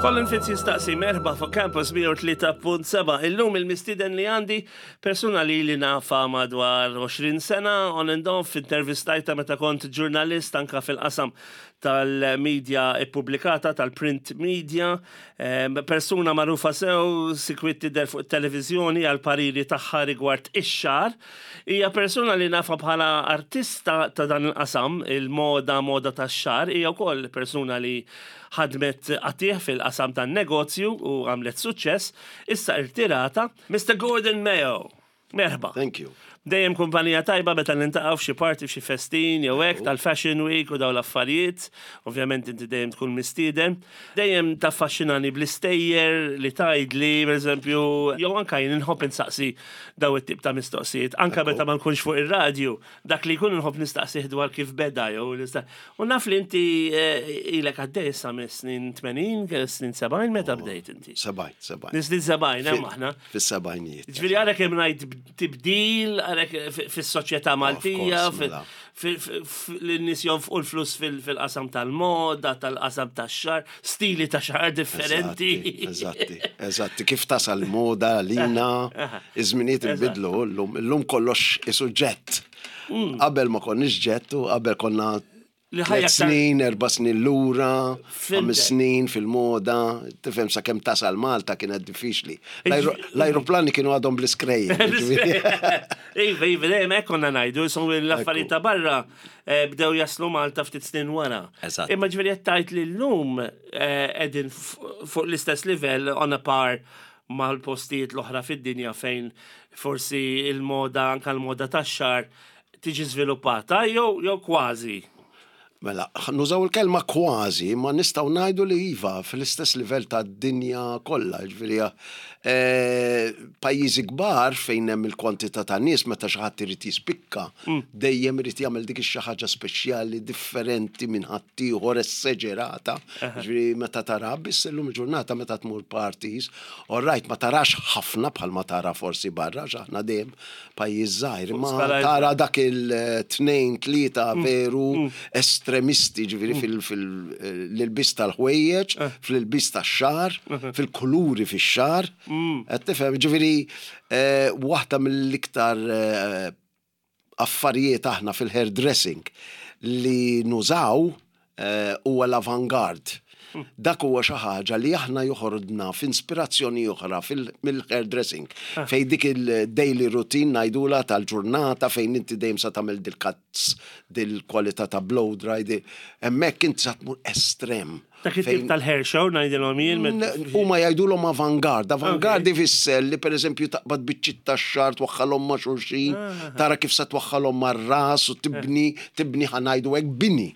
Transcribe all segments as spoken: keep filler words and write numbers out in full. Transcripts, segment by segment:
Colin Fitz jistaqsi, merħba fuq Campus mija u tlieta punt seba'. Illum il-mistiden li għandi persuna li li nafa madwar għoxrin sena, on and off, intervistajta meta kont ġurnalist anka fil-qasam tal-media ippubblikata, tal-print media, Em, persuna magħrufa sew, sikwit tidher fuq televizjoni għal pariri tagħha rigward ix-xagħar. Hija persuna li nafa bħala artista ta' dan il-qasam, il-moda, moda tax-xagħar, hija wkoll persuna li ħadmet qatigħ fil-qasam tan-negozju u għamlet suċċess, issa irtirata, Mister Gordon Mayo. Merħba. Thank you. Dejjem kumpanija tajba meta niltaqgħu f'xi party, f'xi festin jew hekk tal-Fashion Week u dawn l-affarijiet. Ovvjament inti dejjem tkun mistieden. Dejjem taffaxxinani bl-istejjer li tgħidli, pereżempju, jew anka jien inħobb insaqsi daw it-tip ta' mistoqsijiet. Anka meta ma nkunx fuq ir-radju, dak li jkun inħobb nistaqsih dwar kif beda jew nista' U naf li inti eh, ilek għaddej issa mis-snin tmenin, snin sebgħin, meta bdejt inti? Sebgħin, sebgħin. Snin sebgħin, hemm aħna. Fis-sebgħinijiet. Ġifieri għalek hemm ngħid tibdil, għalek fis-soċjetà Maltija, Course, mela. l-nies jonfqu l-flus fil-qasam tal-moda, tal-qasam tax-xagħar, stili ta' xagħar differenti. Eżatti, eżatti. Kif tasal moda lina, iż-żminijiet inbidlu, llum llum kollox isu jet. Qabel ma konniex jet u qabel konna Li ħajja tliet aktar- snin, erba' snin lura, Fhimtek. ħames snin fil-moda, tifhem, sa kemm tasal Malta kienet diffiċli. L-ajru- L-ajruplani kienu għadhom bl-iskrejjen. Iva, iva, dejjem hekk konna ngħidu, so l-affarijiet ta' barra eh, bdew jaslu Malta ftit snin wara. Eżatt. Imma ġifieri qed tgħid li llum eh, qegħdin f- fuq l-istess livell, on a par mal-postijiet l-oħra fid-dinja fejn forsi il-moda, anka l-moda tax-xagħar tiġi żviluppata jew jew kważi. Mela, nużaw il-kelma kważi, ma nistgħu ngħidu li iva, fl-istess livell ta' dinja kollha, ġifieri eh, pajjiżi kbar fejn hemm il-kwantità ta' nies, meta xi ħadd irid jispikka, dejjem irid jagħmel dik ix-xi ħaġa speċjali, differenti minn ħaddieħor, esaġerata. Ġifieri meta tara biss illum il-ġurnata meta tmur parties, all right, ma tarax ħafna bħal ma tara forsi barra, għax aħna dejjem pajjiż żgħir, ma skala tara dak il-tnejn, tlieta veru estremisti, ġifieri fil-ilbies tal-ħwejjeġ, fil-ilbies tax-xagħar, fil-kuluri fix-xagħar. Qed tifhem, ġifieri eh, waħda mill-iktar eh, affarijiet aħna fil-hairdressing li nużaw eh, huwa l-avantgarde. Dak huwa xi ħaġa li aħna joħrodna f'inspirazzjoni oħra mill-hairdressing. Fejn dik il-daily routine ngħidula tal-ġurnata fejn inti dejjem sa tagħmel dil-cuts, dil-kwalità ta' blow dry, di- hemmhekk inti sa tmur estrem. Dak it-tip Fejn- tal-hair show ngħidilhom jien. met- Huma jgħidulhom avantgarde. Avantgarde Ok. ifisser li pereżempju taqbad biċċiet tax-xagħar, twaħħalhom ma' xulxin, tara kif sa twaħħalhom mar-ras u tibni tibni ħa ngħidu hekk bini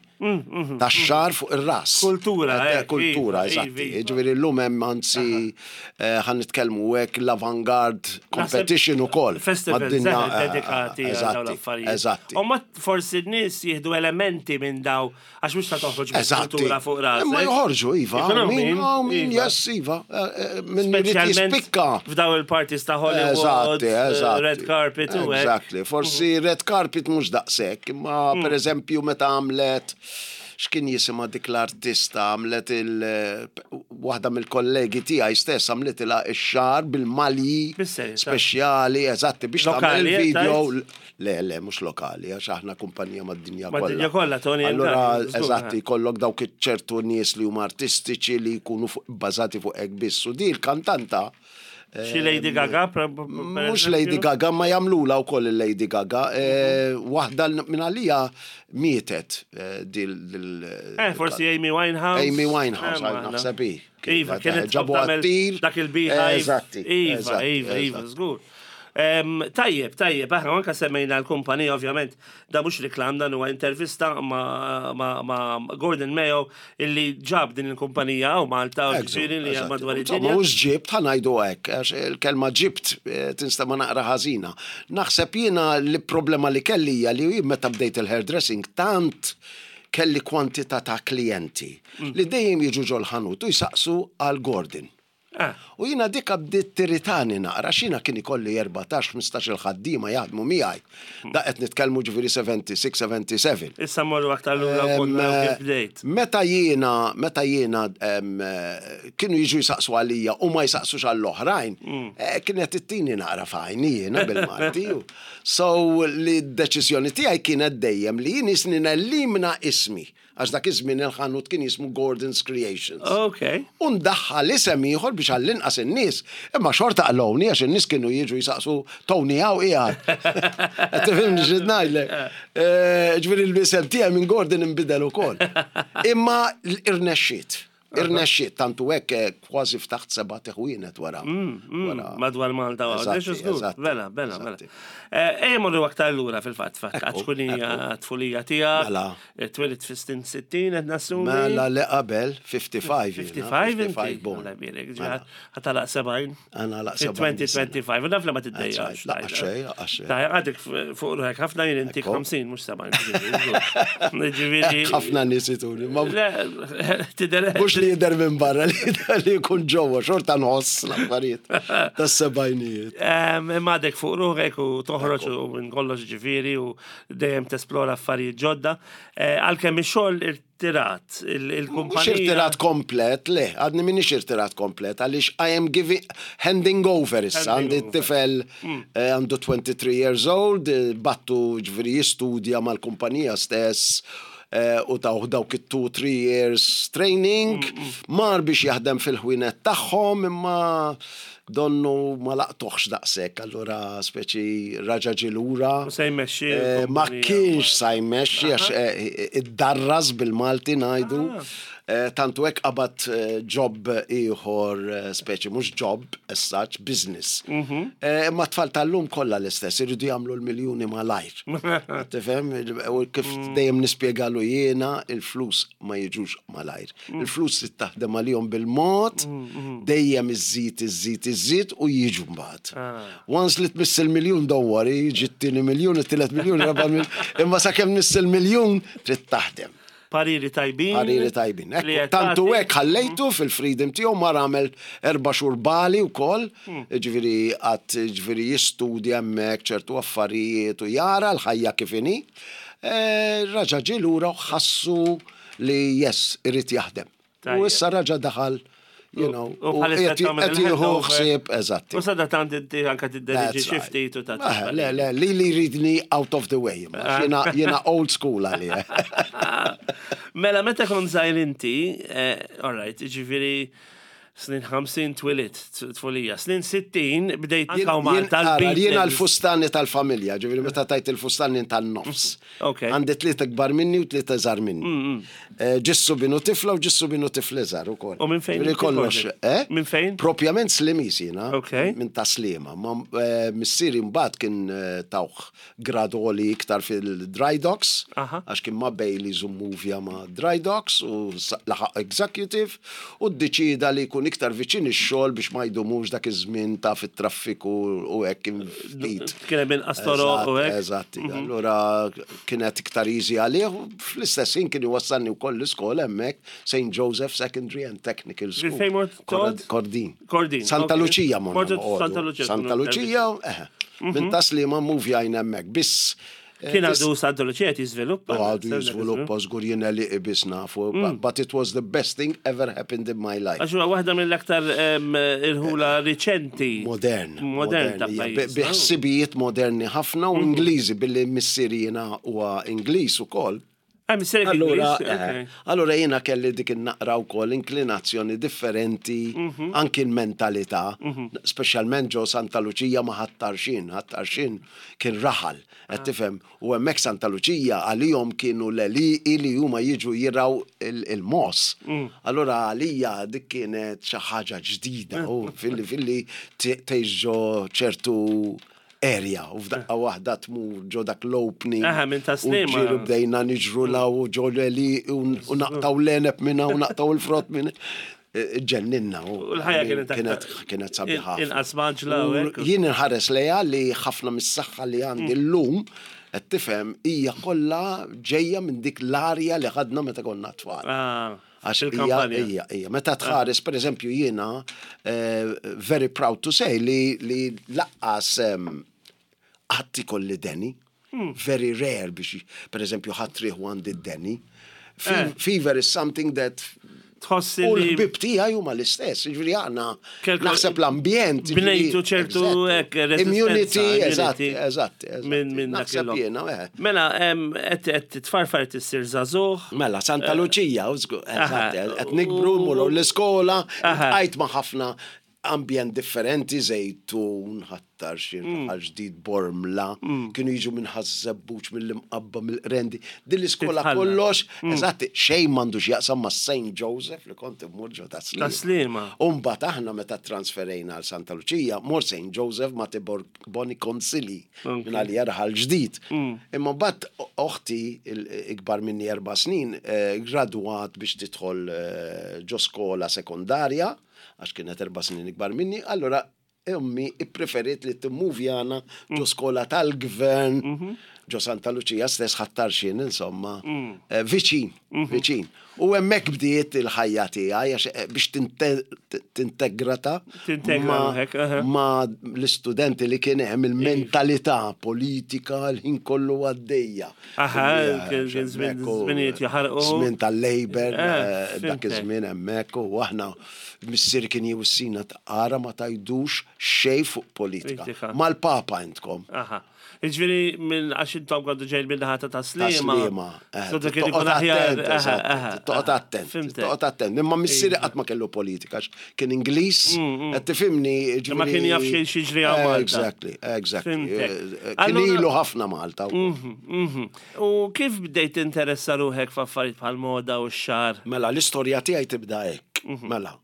tax-xagħar fuq ir-ras. Kultura, Eh, eh, Kultura, iva, eżatti. iva, iva. Ġifieri llum hemm anzi eh, ħa nitkellmu hekk l-avantgarde competition ukoll. Festival mad-dinja, eh, eh, dedikati għal dawn Eżatti, l-affarijiet. eżatti. U ma forsi n-nies jieħdu elementi minn daw, għax mhux ta' toħroġ Eżatti. kultura fuq rasek. Imma joħorġu, iva. Ikun hawn Min, min, oh, min, iva. yes, iva. Eh, eh, Min irid Speċjalment jispikka. f'daw il-parties ta' Hollywood, Eżatti, eh, eżatti. red carpet u hekk. Exactly. Forsi red carpet mhux daqshekk, imma Mm. per eżempju meta għamlet, x'kien jisimha dik l-artista, għamlet il waħda mill-kollegi tiegħi stess għamlet ilha x-xagħar bil-malji Bis-serjetà? speċjali, eżatti, biex tagħmel Lokali, il-video. tajt? Le, le, mhux lokali, għax aħna kumpanija mad-dinja kollha. Mad-dinja kollha, Tony and Allura, Guy, żgur, eżatti, eh. kollok dawk ċertu nies li huma artistiċi li jkunu fuq- bbażati fuq hekk biss. U di l-kantanta Xi Lady Gaga, per- per Mhux eżempju? Lady Gaga, ma jagħmlula wkoll il-Lady Gaga. Eh, Waħda minn għalija mietet eh, dil. dil- Eh, forsi Amy Winehouse. Amy Winehouse, Eh, ma- naħseb hi. Iva, kienet ġabu tagħmel għattir. dak il-beehive. Eżatti. Iva, eżatti, iva, iva, eżatti. żgur. Em, Tajjeb, tajjeb, aħna anka semmejna l-kumpanija, ovvjament, da mhux reklam, dan huwa intervista ma, ma, ma Gordon Mayo illi ġab din il-kumpanija u Malta, u ġifieri li Eżatti. madwar Insomma, id-dinja. mhux ġibt, ħa ngħidu hekk, għax il-kelma ġibt eh, tinstema' naqra ħażina. Naħseb jiena li problema li kelli hija li jien meta bdejt il-hairdressing tant kelli kwantità ta' klijenti Mm. li dejjem jiġu ġol-ħanut u jsaqsu għal Gordon. Ah. U jiena dika bdiet tirritani naqra, xina kien ikolli erbatax, ħmistax il-ħaddiema jaħdmu miegħi. Da qed nitkellmu ġifieri sebgħa u sebgħin, sebgħa u sebgħin. Issa morru aktar lura Em, konna kif bdejt. Meta jiena, meta jiena em, eh, kienu jiġu jisaqsu għalija u ma jisaqsux għall-oħrajn, eh, kienet ittini naqra f'għajni jiena bil-Malti. So li d-deċiżjoni tiegħi kienet dejjem li jien jisni nellimna ismi, għax dak iż-żmien il-ħanut kien jismu Gordon's Creations. Ok. U ndaħħal isem ieħor biex għall-inqas in-nies, imma xorta qalawni għax in-nies kienu jiġu jisaqsu "Tony hawn qiegħed?" Qed tifhimni x'qed ngħidlek? Eh, Ġifieri l-isem tiegħi minn Gordon inbidel ukoll. Imma irnexxiet. Irnexxiet, tantu hekk eh, kważi ftaħt seba' ħwienet wara. wara. Madwar Malta u Eżatti, għax żgur. eżatti, Bela, bela, bela. eżatti. Ejja morru aktar lura fil-fatt, fatt, Ekku, għax tfulija tiegħek. Mela. Twelidt fis-snin sittin qed nassumi. Mela li qabel ħamsa u ħamsin jiena, ħamsa u ħamsin inti. ħamsa u ħamsin born. Alla jbierek, Mela. ħa tagħlaq sebgħin. Għana laq sebgħin sena. elfejn u ħamsa u għoxrin, u naf li ma tiddejjax. That's right. Laqqa xejn, laqqa xejn. Ta' għadek fuq ruħek ħafna, jien intik Ekku. ħamsin, mhux sebgħin. Ġifieri. Ħafna nies ituni. Ma Le, tidher. mhux li jidher minn barra, li jidher li jkun ġewwa, xorta nħoss l-affarijiet tas-sebgħinijiet. Imma għadek fuq ruħek u toħroġ u minn kollox ġifieri u dejjem tesplora affarijiet ġodda. Eh, Għalkemm ix-xogħol irtirat, il- Mhux il-kumpanija. irtirat komplet, le, għadni minix irtirat komplet, għaliex I am giving, handing over issa, Handing għandi over. tifel eh, għandu twenty-three years old, eh, bgħattu ġifieri jistudja mal-kumpanija stess, eh, u taw dawk it-two, three years training, mar biex jaħdem fil-ħwienet tagħhom, imma donnu ma laqtuħx daqshekk, allura speċi raġa ġie lura. U se jmexxi Eh, Ma l-kumpanija. kienx sa jmexxi għax eh, iddarras bil-Malti ngħidu. Eh, Tantu hekk qabad eh, job ieħor, eh, speċi mhux job as such, business. Eh, Imma tfal tal-lum kollha l-istess, iridu jagħmlu l-miljuni malajr. Tifhem? U kif dejjem nispjegalu jiena, il-flus ma jiġux malajr. Il-flus trid taħdem għalihom bil-mod, dejjem iżżid, iżżid, iżżid u jiġu mbagħad. Once li tmiss il-miljun, don't worry, jiġi t-tieni miljun, it-tielet miljun, raba' miljun, imma sakemm tmiss il-miljun trid taħdem. Pariri tajbin. Pariri tajbin. Li Ekku, qed tantu tagħti. hekk ħallejtu fil-freedom tiegħu, mar għamel erba' xhur Bali wkoll, ġifieri qatt ġifieri jistudja hemmhekk ċertu affarijiet u jara l-ħajja kif inhi. Eh, Raġa ġie lura u ħassu li yes, irid jaħdem. U Tajjeb. issa raġa daħal, you know, U u bħalissa qed tagħmel qed jieħu il-handover. ħsieb, eżatti. U sada tant inti anka tidderieġi That's xi right. ftit u ta' Ah, Le, le, li li jridni out of the way. imma Jiena jiena old school għalija. Mela, meta kont żgħir inti, eh, all right, ġifieri snin ħamsin twelidt, tfulija, snin sittin bdejt Jien- anka jien- Malta ara, l-Beatles. Jiena l-fustani tal-familja, ġifieri meta tajt il-fustani tan-nofs. Ok. Għandi tlieta kbar minni u tlieta żgħar minni. Eh, Ġissu binu tifla u ġissu binu tifla żgħar ukoll. U minn fejn Ġifieri inti, kollox, Gordon? eh? Minn fejn? Propjament Slimiż jiena. Ok. Minn Tas-Sliema. Ma eh, missieri mbagħad kien eh, tawh grad għoli iktar fil-dry docks, Aha. għax kien ma' Baileys u movja ma' dry docks u sa- laħaq executive u ddeċida li jkun iktar viċin ix-xogħol biex ma jdumux dak iż-żmien ta' fit-traffiku u hekk kien ftit. Kien hemm inqas toroq u hekk. Eżatt, allura kienet iktar easy għalih u fl-istess ħin kien iwassalni wkoll l-iskola hemmhekk, Saint Joseph Secondary and Technical School. Fejn mort Korad- toqgħod? Kordin. Kordin, Santa ok. Lucia morna Mortu noqogħdu. Santa Lucia, Santa tkunu Lucia, eh. Minn Tas-Sliema muvjajna hemmhekk. Biss eh, Kien tis- għadu Santa Lucia qed jiżviluppa. U għadu jiżviluppa żgur, jiena li qbiż nafu, but- but it was the best thing ever happened in my life. Għax huwa waħda mill-aktar em, irħula riċenti. Modern. Modern ta' hija, pajjiż. bi- Bi ħsibijiet moderni ħafna u Ingliżi, billi missieri jiena huwa Ingliż ukoll. Ah, missierek Allura, Ingliż, eh, ok. allura jiena kelli dik in-naqra wkoll inklinazzjoni differenti, anki l-mentalità, speċjalment ġo Santa Lucia ma Ħal Tarxien, Ħal Tarxien kien raħal, qed tifhem, u hemmhekk Santa Lucia għalihom kienu l-għelieqi li huma jiġu jiraw il-mogħoż. Allura għalija dik kienet xi ħaġa ġdida u filli filli tgħix ġo ċertu area u f'daqqa waħda tmur ġo dak l-opening. Aha, minn ta' U Sliema. ġiru bdejna niġru law u ġo l-għelieqi u u naqtgħu l-għeneb minna u naqtgħu il-frott minna. Ġenninna. U l-ħajja kienet kienet aktar- kienet sabiħa. Inqas mgħaġġla u U hekk. jien inħares lejha li ħafna mis-saħħa li għandi llum, qed tifhem, hija kollha ġejja minn dik l-arja li ħadna meta konna tfal. Ah, Għax hija, Il-kampanja. hija, hija. Meta tħares, per eżempju, jiena, eh, very proud to say li, li lanqas em, qatt ikolli deni. Hmm. Very rare biex, per eżempju, ħadd rieħu għandi d-deni. Fe- Eh. Fever is something that Tħossi U li l-ħbib tiegħi huma l-istess, ġifieri aħna Kelko- naħseb l-ambjent. ġifieri- Bnejtu ċertu Eżatt. hekk resistenza, Immunity, eżatt, immunity. eżatt. eżatt. Minn minn dak Naħseb il-lok. jiena, eh. Mela, em, qed qed titfarfar tissir żagħżugħ. Mela, Santa Lucia, u żgur, Aha. eżatt, qed nikbru, mmorru l-iskola, Aha. għajt ma' ħafna ambjent differenti, Żejtun, Ħ'Attard, Mm. Raħal Ġdid, Bormla, kienu jiġu minn Ħaż-Żebbuġ, mill-Imqabba, mill-Qrendi. Din l-iskola Titħalla. kollox, eżatt, xejn m'għandux jaqsam ma' Saint Joseph li kont immur ġo ta' Ta' Sliema. Umbagħad aħna meta transferejna għal Santa Lucia, mort Saint Joseph ma' Tibor Boni Consili Ok. minn għalija Raħal Ġdid. Imma mbagħad oħti ikbar minni erba' snin eh, gradwat biex tidħol eh, ġo skola sekondarja, għax kienet erba' snin ikbar minni, allora ommi ippreferiet li timmuvjana ġo skola tal-gvern, ġo Santa Lucia stess Ħ'Attarxien, insomma, eh, viċin, viċin. U hemmhekk bdiet il-ħajja tiegħi għax eh, biex tinte- tintegrata Tintegra ma- ruħek, aha. ma l-istudenti li kien hemm il-mentalità politika l-ħin kollu għaddejja. Aha, Ija, kien kien żmien- hemmhekk u- żminijiet jaħarqu. Żmien tal-Labor, Eh, eh, dak fhimtek. iż-żmien hemmhekk u aħna missier kien jwissina taqara ma tajdux xejn fuq politika. Politika. Mal-papa intkom. Aha. Ġifieri minn għax intom għandu ġejl minn naħa ta' Ta' Sliema. Sliema. eh, So dak kien ikun Toqgħod aħjar. attent, aha, eżatt, aha, Toqgħod aha. attent, Fhimtek. toqgħod attent. Imma missieri qatt ma kellu politika, għax kien Ingliż, qed tifhimni. Mm, Ma kien jaf xejn x'jiġri hawn Eh, Malta. Exactly, exactly. Fhimtek. Eh, Kien Allura- ilu ħafna Malta. Mhm, mhm. U kif bdejt interessa ruħek f'affarijiet bħal moda u x-xagħar? Mela, l-istorja tiegħi tibda hekk. Mhm. Mela,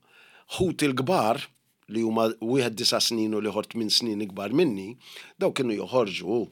ħuti l-kbar li huma wieħed disa' snin u l-ieħor tmien snin ikbar minni, daw kienu joħorġu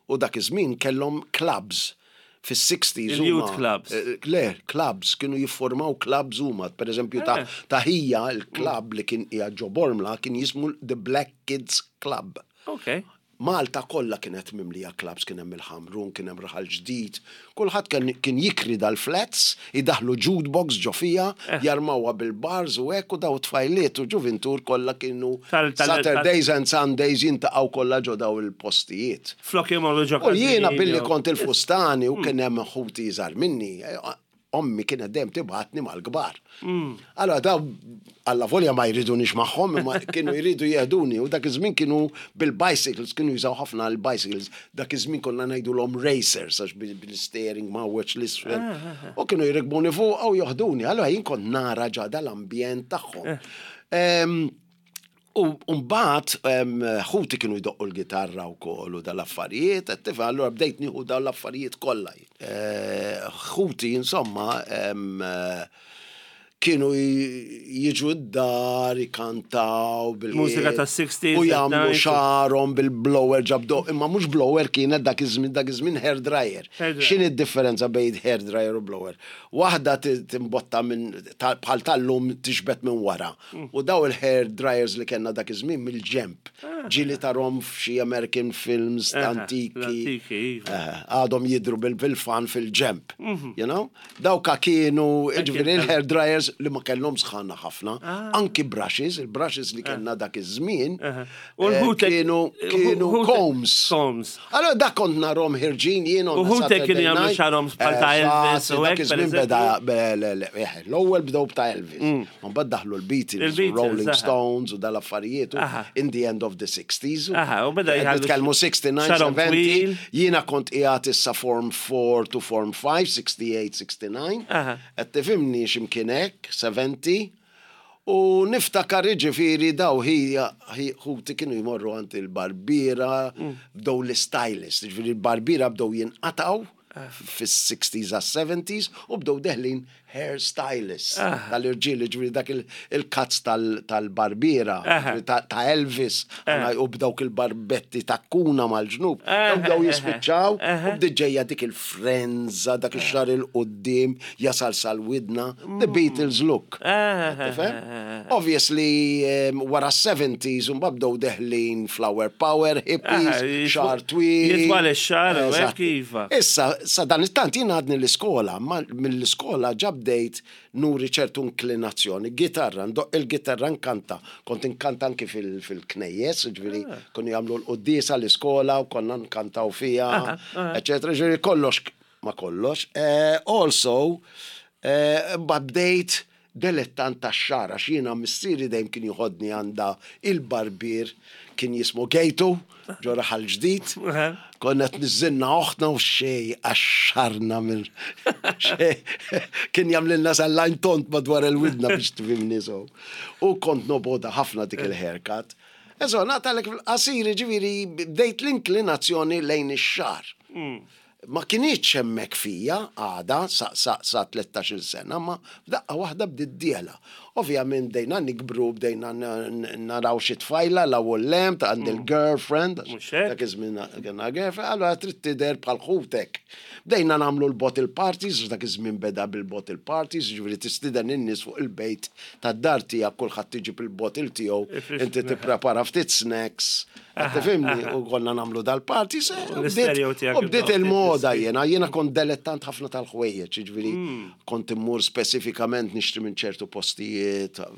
u dak iż-żmien kellhom clubs fis-sixties. Il-youth huma- clubs. Eh, Le, clubs, kienu jiffurmaw clubs huma. Per eżempju, ta' Eh. ta' ħija il-club li kien qiegħed ġo Bormla kien jismu The Black Kids Club. Ok. Malta kollha kienet mimlija clubs, kien hemm il-Ħamrun, kien hemm Raħal Ġdid. Kulħadd kien, kien jikri dal-flats, idaħlu jukebox ġo fiha, Eh. jarmawha bil-bars u hekk u daw tfajliet u ġuvintur kollha kienu Tal- tal- Saturdays and Sundays jintaqgħu kollha ġo daw il-postijiet. Flok imorru ġo U jiena każini billi jew- kont il-fustani u kien hemm ħuti iżgħar minni, eh, ommi kienet dejjem tibgħatni mal-kbar. Allora daw alla volja ma jridunix magħhom, imma kienu jridu jeħduni u dak iż-żmien kienu bil-bicycles, kienu jużaw ħafna l-bicycles. Dak iż-żmien konna ngħidulhom racers għax bil- bil-steering ma' wiċċ l-isfel. U kienu jirikbuni fuq u joħduni. Allora jien kont nara ġa dal-ambjent tagħhom. Em, U mbagħad em, ħuti kienu jdoqqu l-gitarra u koll u dal-affarijiet, qed tifhem, allura bdejt nieħu dawn l-affarijiet kollha. Eh, Ħuti insomma em, eh, kienu j- jiġu d-dar, ikantaw bil Mużika tas-sixties, U jagħmlu nineties. xagħarhom bil-blower ġabdo, imma mhux blower kienet dak iż-żmien dak iż-żmien hair dryer. Hair dryer. X'inhi d-differenza bejn hair dryer u blower? Waħda ti- timbotta minn ta- bħal tal-lum tixbet minn wara. Mm. U daw il-hair dryers li kellna dak iż-żmien mill-ġemp. Ġieli tarahom f'xi American films Aha, antiki. l-antiki, iva. Eh, Għadhom jidru bil- bil-fan fil-ġemp. You know? Dawka kienu, ġifieri il-hair dryers li ma kellhom sħana ħafna. Anki brushes, il-brushes li kellna dak iż-żmien. U eh, l-ħutek- kienu kienu ħutek- combs. Combs. Allora dak kont narahom ħerġin jien U ħutek kienu jagħmlu xagħarhom bħal ta' Elvis u dak hekk, per iż-żmien beda be- le- le- eh, l-ewwel bdew b'ta' Elvis. Ma mbagħad daħlu l-Beatles, u Il-Beatles, Rolling aha. Stones u dal-affarijiet u Aha. in the end of the sixties. Aha, u beda Qed jħallu Nitkellmu sixty-nine, xagħarhom seventy. twil. Jiena kont qiegħed issa Form four to Form five, sixty-eight, sixty-nine. Aha. Qed tifhimni x'imkien hekk, seventy. U niftakar ġifieri daw ħija ħuti kienu jmorru għand il-barbiera, bdew l-stylist, ġifieri il-barbiera bdew jinqataw fis-sixties għas seventies u bdew deħlin hair stylists tal-irġiel, ġifieri dak il- il-cuts tal- tal-barbiera, Aha. ġifieri ta' ta' Elvis, u b'dawk il-barbetti ta' kuna mal-ġnub, Aha, u bdew jispiċċaw, aha. u bdiet ġejja dik il-frenza, dak ix-xagħar 'il quddiem, jasal sal-widna, the Beatles look. Tifhem? Obviously, um, wara seventies, un bdew deħlin flower power, hippies, Aha, jitwa- xagħar twil. jitwal ix-xagħar u hekk Eżatt. iva. Issa, sa dan it-tant jien għadni l-iskola, ma mill-iskola ġa bdejt nuri ċertu inklinazzjoni. Gitarra, ndoqq il-gitarra, nkanta. Kont inkanta anki fil- fil-knejjes, ġifieri, kienu jagħmlu l-quddiesa l-iskola u konna nkantaw fija, eccetera. Ġifieri, kollox ma kollox. Eh, also, eh, bdejt delettant ta' xagħar, għax jiena missieri dejjem kien joħodni għand il-barbier, kien jismu Gejtu, ġo Raħal Ġdid. Konna tniżżilna oħtna u xej, għaxxarna minn xej. Kien jagħmlilna sal-lajn tond madwar il-widna biex tifhimni so. U kont nobgħodha ħafna dik il-haircut. Eżo, nagħtalek fil-qasir, ġifieri, bdejt l-inklinazzjoni lejn ix-xagħar. Ma kinitx hemmhekk fija għada sa, sa, sa tlettax-il sena, ma f'daqqa waħda bdiet dieħla. Ovvjament bdejna nikbru, bdejna n- n- naraw xi tfajla la u lem ta' għand il-girlfriend, Mhux hekk? dak iż-żmien kellna girlfriend, allura trid tidher bħal ħutek. Bdejna nagħmlu l-bottle parties, dak iż-żmien beda bil-bottle parties, ġifieri tistieden in-nies fuq il-bejt tad-dar tiegħek, kulħadd iġib il-bottle tiegħu, inti tipprepara ftit snacks, tifhimni, u konna nagħmlu dal-parties, eh, u bdiet- L-istereo tiegħek u bdiet ibda il-moda ftit. Jena, jena kont delettant ħafna tal-ħwejjeġ, ġifieri kont immur spesifikament nixtri minn ċertu postijiet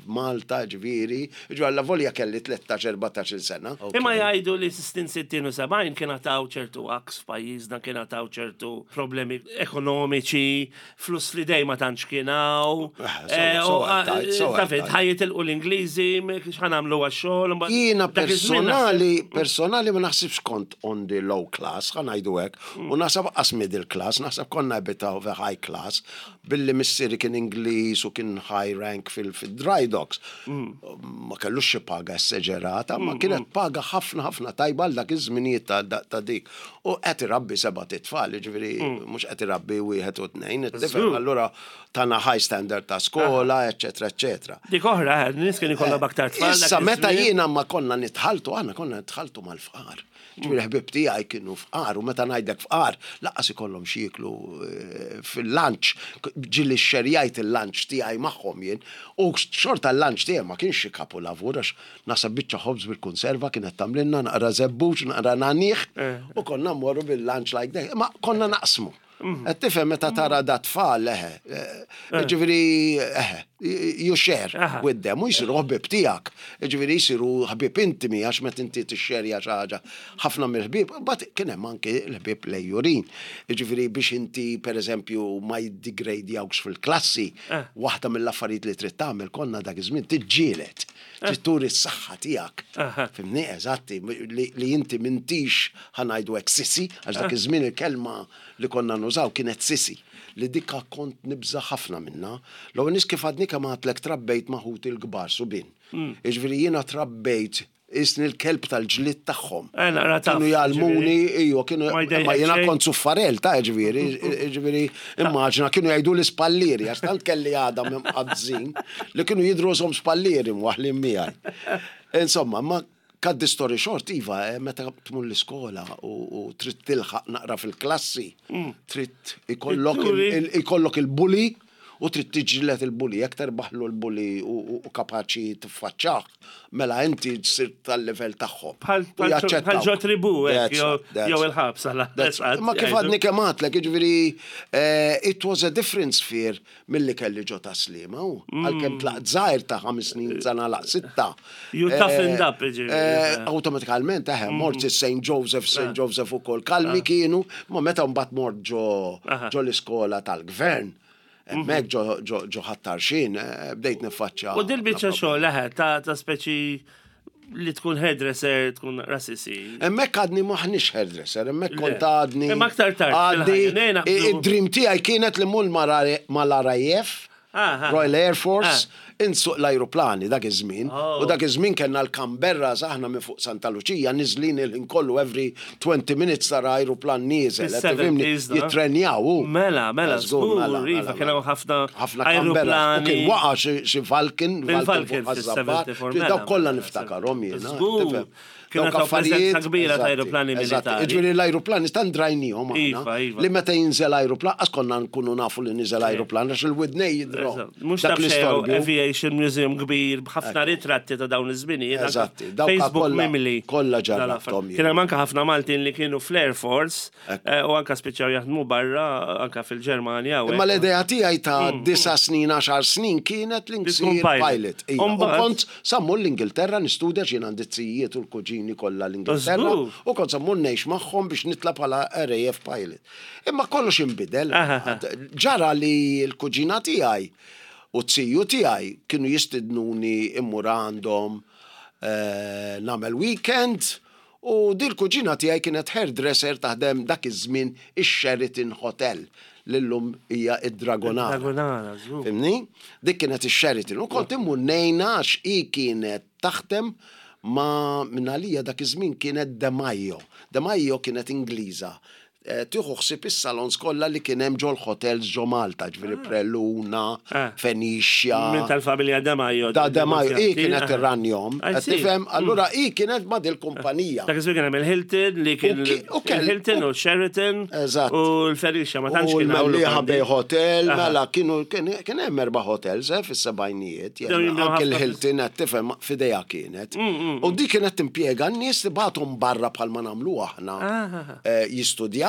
Malta, ġifieri, ġifieri alla volja kelli tlettax erbatax-il sena. Imma jgħidu li snin sittin u sebgħin kien għataw ċertu aks f'pajjiżna, kien għataw ċertu problemi ekonomiċi, flus li dej ma tantx kienaw. Ah, so- so għattajt, so Taf, għattajt. ħa jitilqu l-Ingliżi, x'ħa nagħmlu għax-xogħol. Mbagħad Jiena dak iż-żmien personali, personali ma naħsibx kont on the low class, ħa ngħidu hekk, u naħseb qas middle class, naħseb konna a bit of a high class, billi missieri kien Ingliż u kien high rank fil-dry docks. Ma kellux xi paga esagerata, ma kienet paga ħafna ħafna tajba għal dak iż-żminijiet ta' ta' dik. U qed irabbi seba' titfal, ġifieri mhux qed irabbi wieħed u tnejn, it-tifel, allura tana high standard ta' skola, eccetera, eccetera. Dik oħra, eh, nies kien ikollhom aktar tfal dak Issa, meta iż-żmien. jiena ma konna nitħaltu, aħna konna nitħaltu mal-fqar. Ġifieri ħbib tiegħi kienu fqar, u meta ngħidlek fqar, lanqas ikollhom xi jieklu eh, fil-lunch, ġieli xxerjajt il-lunch tiegħi magħhom jien, u xorta l-lunch tiegħi ma kienx xi kapulavur, għax naħseb biċċa ħobż bil-konserva kienet tagħmlilna naqra żebbuġ, naqra nagħniegħ, u konna mmorru bil-lunch like that. Ma konna naqsmu. Qed tifhem, meta tara da tfal, eħe, eh, ġifieri, eħe, you share Aha. with them, u jisiru ħbib tiegħek. Ġifieri jisiru ħbib intimi, għax meta inti tixxerja xi ħaġa ħafna mill-ħbieb, but kien hemm anke l-ħbieb lejjurin. Ġifieri biex inti, per eżempju, ma jiddegradjawx fil-klassi, waħda mill-affarijiet li trid tagħmel konna dak iż-żmien tiġġieled. Trid turi s-saħħa tiegħek. Aha. Fhimni, eżatti, li, li inti m'intix, ħa ngħidu hekk, sissy, għax dak iż-żmien il-kelma li konna nużaw kienet sissy, li dikka kont nibża ħafna minna. L-ewwel nies, kif għadni kemm għedtlek, trabbejt ma' ħuti l-kbar subien. Jiġifieri jiena trabbejt isni l-kelb tal-ġlit tagħhom. Eh, naqra taf, Kienu jgħallmuni, ijwa, kienu, Ma jdejqek ma jiena xejn? kont suffarel ta' ġifieri, ġifieri, immaġina, kienu jgħidu l-ispallieri, għax tant kelli għadam imqabbżin, li kienu jidru som spallieri mwaħlin miegħi. Insomma, ma cut the story short, iva, eh, meta tmur l-iskola u, u trid tilħaq naqra fil-klassi, trid ikollok il- Turi. il- ikollok il-bully u trid tiġġieled il-bully, jekk terbaħlu l-bully u, u, u kapaċi tiffaċċah, mela inti ssir tal-level tagħhom. Bħal U jaċċettawk. bħal ġo tribu, hekk, That's jew right, that's jew right. il-ħabs għala. That's right. Ma kif għadni kemm għedtlek, ġifieri, eh, it was a different sphere milli kelli ġo Tas-Sliema, u għalkemm tlaqt żgħir ta' ħames snin sena laq sitta. You eh, toughened up, ġifieri. eh, Automatikament, eħe, mort Saint Joseph, Saint Joseph u kol kalmi kienu, ma meta mbagħad mort ġo Aha. ġo l-iskola tal-gvern, hemmhekk ġo ġo ġo Ħal Tarxien, eh, bdejt niffaċċja. U dil-biċċa xogħol, eħe, ta' ta' speċi li tkun hairdresser, tkun rasisi. Hemmhekk għadni m'aħniex hairdresser, hemmhekk kont Le. għadni. Imma aktar tard Għadni, fil-ħajja, nej, naqbdu. id-dream tiegħi kienet li mmur mal-R A F, Ah, ah. Royal Air Force, insuq l-ajruplani dak iż-żmien. Oh. U dak iż-żmien kellna l-Canberra aħna minn fuq Santa Luċija niżlin il-ħin kollu, every twenty minutes tara ajruplan nieżel. Qed tifhimni? Fis-seventies, no? Jittrenjaw. u. Mela, mela, Żgur, żgur, mela, iva, mela, kien hawn ħafna ħafna Canberra. U ajruplani. kien waqa' xi xi Falcon, Bil-Falcon fuq Ħaż-Żabbar. fis-sebgħa u erbgħin, Dawk kollha mela, niftakarhom jiena. Żgur. Tifhem? Kienu Dawk taw preżenza kbira ta' Eżatti, aeroplani eżatti. militari. Ġifieri l-aeroplani tant drajnihom aħna. Iva, iva. Li meta jinżel aeroplan, għax konna nkunu nafu li niżel aeroplan, għax il-widnej jidro. Eżatt. Mhux Dak taf xejn l-istorbju. Aviation Museum kbir b'ħafna ritratti ta' dawn iż-żminijiet. anka Eżatti, dawk Facebook kollha- mimli. kollha dal-affarijiet. ġarrabthom jien. Kien hemm anke ħafna Maltin li kienu fl-Air Force eh, u anka spiċċaw jaħdmu barra anka fil-Ġermanja. u Imma hekk. l-idea tiegħi ta' disa snin, għaxar snin kienet li Li tkun nsir pilot. pilot. Ija, U U mbagħad? kont sa mmur l-Ingilterra nistudja, x'jien għandi zijiet u l-kuġini kollha l-Ingilterra. Żgur. U kont sa mmur ngħix magħhom biex nitla bħala R A F pilot. Imma kollox inbidel. Aha. Ġara li l-kuġina tiegħi u t-ziju tiegħi kienu jistidnuni immur għandhom eh, nagħmel weekend u di l-kuġina tiegħi kienet hairdresser taħdem dak iż-żmien ix-Sheraton Hotel li llum hija id-Dragonara. Dragonara, żgur. Fhimtni? Dik kienet ix-Sheraton. U kont immur ngħinha għax hi kienet taħdem ma minn għalija dak iż-żmien kienet De Maio. De Maio kienet Ingliża. Eh, Tieħu ħsieb is-salons kollha li kien hemm ġol hotels ġo Malta, ġifieri Preluna, Ah. Fenicia. Minn tal-familja De Maio. Da De Maio, hi kienet irranjom. I Qed see. tifhem? Allura hi kienet ma dil-kumpanija. Dak iż-żmien kien hemm il-Hilton li kien U ki- u kell- il-Hilton u Sheraton Eżatt. u l-Fenicia, ma tantx U kien hawn l-Mellieħa lukandi. Bay Hotel, Aha. mela kienu kien kien hemm erba' hotels eh, fis-sebgħinijiet. Dawn jimlew Anke ħafna l-Hilton, qed tifhem, f'idejha kienet. U di kienet timpjega n-nies, tibgħathom barra bħalma nagħmlu aħna. Ah. eh, Jistudjaw,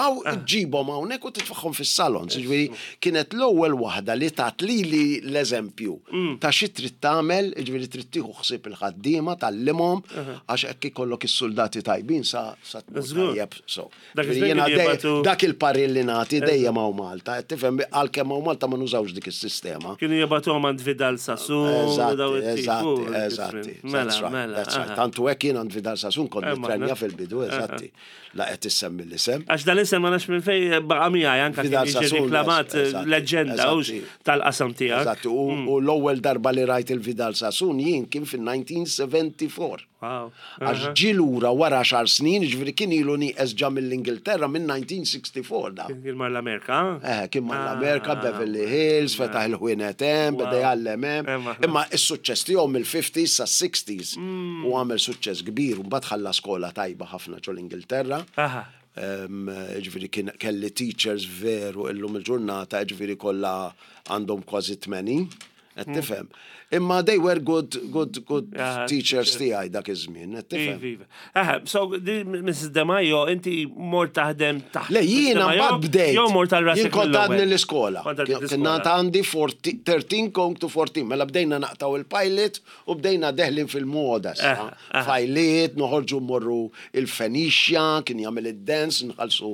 ġibhom hawnhekk u titfagħhom fis-salon. Ġifieri kienet l-ewwel waħda li tat lili l-eżempju ta' xi trid tagħmel, ġifieri trid tieħu ħsieb il-ħaddiema, tgħallimhom, għax hekk ikollok is-soldati tajbin sa sa tmur Żgur. tajjeb. So, Dak ġifieri iż-żmien jiena kienu dej- jibgħatu- dak il-parir li nagħti dejjem hawn Malta, qed tifhem, għalkemm hawn Malta ma nużawx dik is-sistema. Kienu jibgħatuhom għand Vidal Sassoon. u daw Eżatti, it-tip, eżatti, u eżatti. Mela, That's right, mela. that's right. Aha. Tantu hekk jien għand Vidal Sassoon kont Eh, nitrenja maħna. fil-bidu, eżatti. La qed issemmi l-isem. Għax dal-isem ma nafx minn fej baqa miegħi anka kien Vidal jiġi Sassoon, reklamat eżatti, leġenda hux eżatti. tal-qasam tiegħek. Eżatti, u u l-ewwel darba li rajt il-Vidal Sassoon jien kien fil-elf disa' mija u erbgħa u sebgħin. Wow. Għax ġi lura wara għaxar snin, ġifieri kien ilu nieqes ġa mill-Ingilterra minn elf disa' mija u erbgħa u sebgħin da. Kien mar l-Amerika. Eh, kien mar Ah. l-Amerika, Beverly Hills, fetaħ il-ħwienet hemm, beda jgħallem hemm. Hemm aħna. Imma is-suċċess tiegħu mill-fifties sa sixties Mm. u għamel suċċess kbir u mbagħad ħalla skola tajba ħafna ġol Ingilterra. Aha. Em, Ġifieri kien kelli teachers veru illum il-ġurnata, ġifieri kollha għandhom kważi tmenin, qed tifhem. Imma they were good, good, good Ah, teachers tiegħi dak iż-żmien, qed tifhem. Iva, iva. Aha, so di Missus De Maio, inti mort taħdem taħt. Le, jiena Missus De Maio, mbagħad bdejt. Jew mort tal rasek Jien kont mill-ewwel? għadni l-iskola. Kont għadni Kien l-iskola. għandi fourteen thirteen going to fourteen. Mela bdejna naqtaw il-pilot u bdejna deħlin fil-moda. sa. Aha, aha. Fajliet, noħorġu mmorru il-Fenicia, kien jagħmel id-dance, nħallsu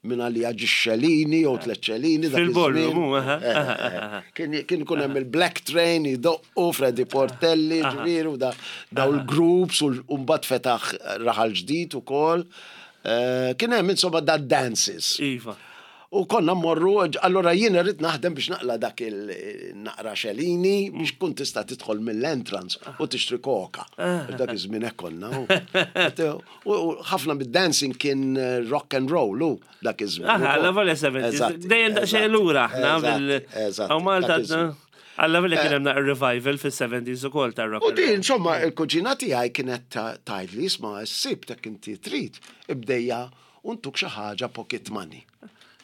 minn għalija ġixxelini jew tliet ċelini. Dak Fil-ballroom, iż-żmien. u, aha, Eh, aha, eh, aha. Kien kien ikun hemm il-Black Train, idoqqu, Freddy Portelli, ġifieri, u da daw il-groups, u u mbagħad fetaħ Raħal Ġdid ukoll. Eh, Kien hemm insomma da dances. Iva. U konna mmorru, allora jien irrid naħdem biex naqla dak il-naqra xelini biex kun tista' tidħol mill-entrance u tixtri koka. Dak iż-żmien hekk konna. U u ħafna mid-dancing kien eh, rock and roll, u dak iż-żmien. Aha, la volja seventies. Eżatti, Dejjem daqsxejn eżatti, lura aħna eżatti, bil. Eżatti, Hawn Malta dak iż-żmien. Alla volja kien hemm naqra revival fis-seventies ukoll tar-rock. U and di, roll. insomma, il-kuġina tiegħi kienet ta- tgħidli, "Isma', s-Sibt hekk inti trid, ibdejja u ntuk xi ħaġa pocket money."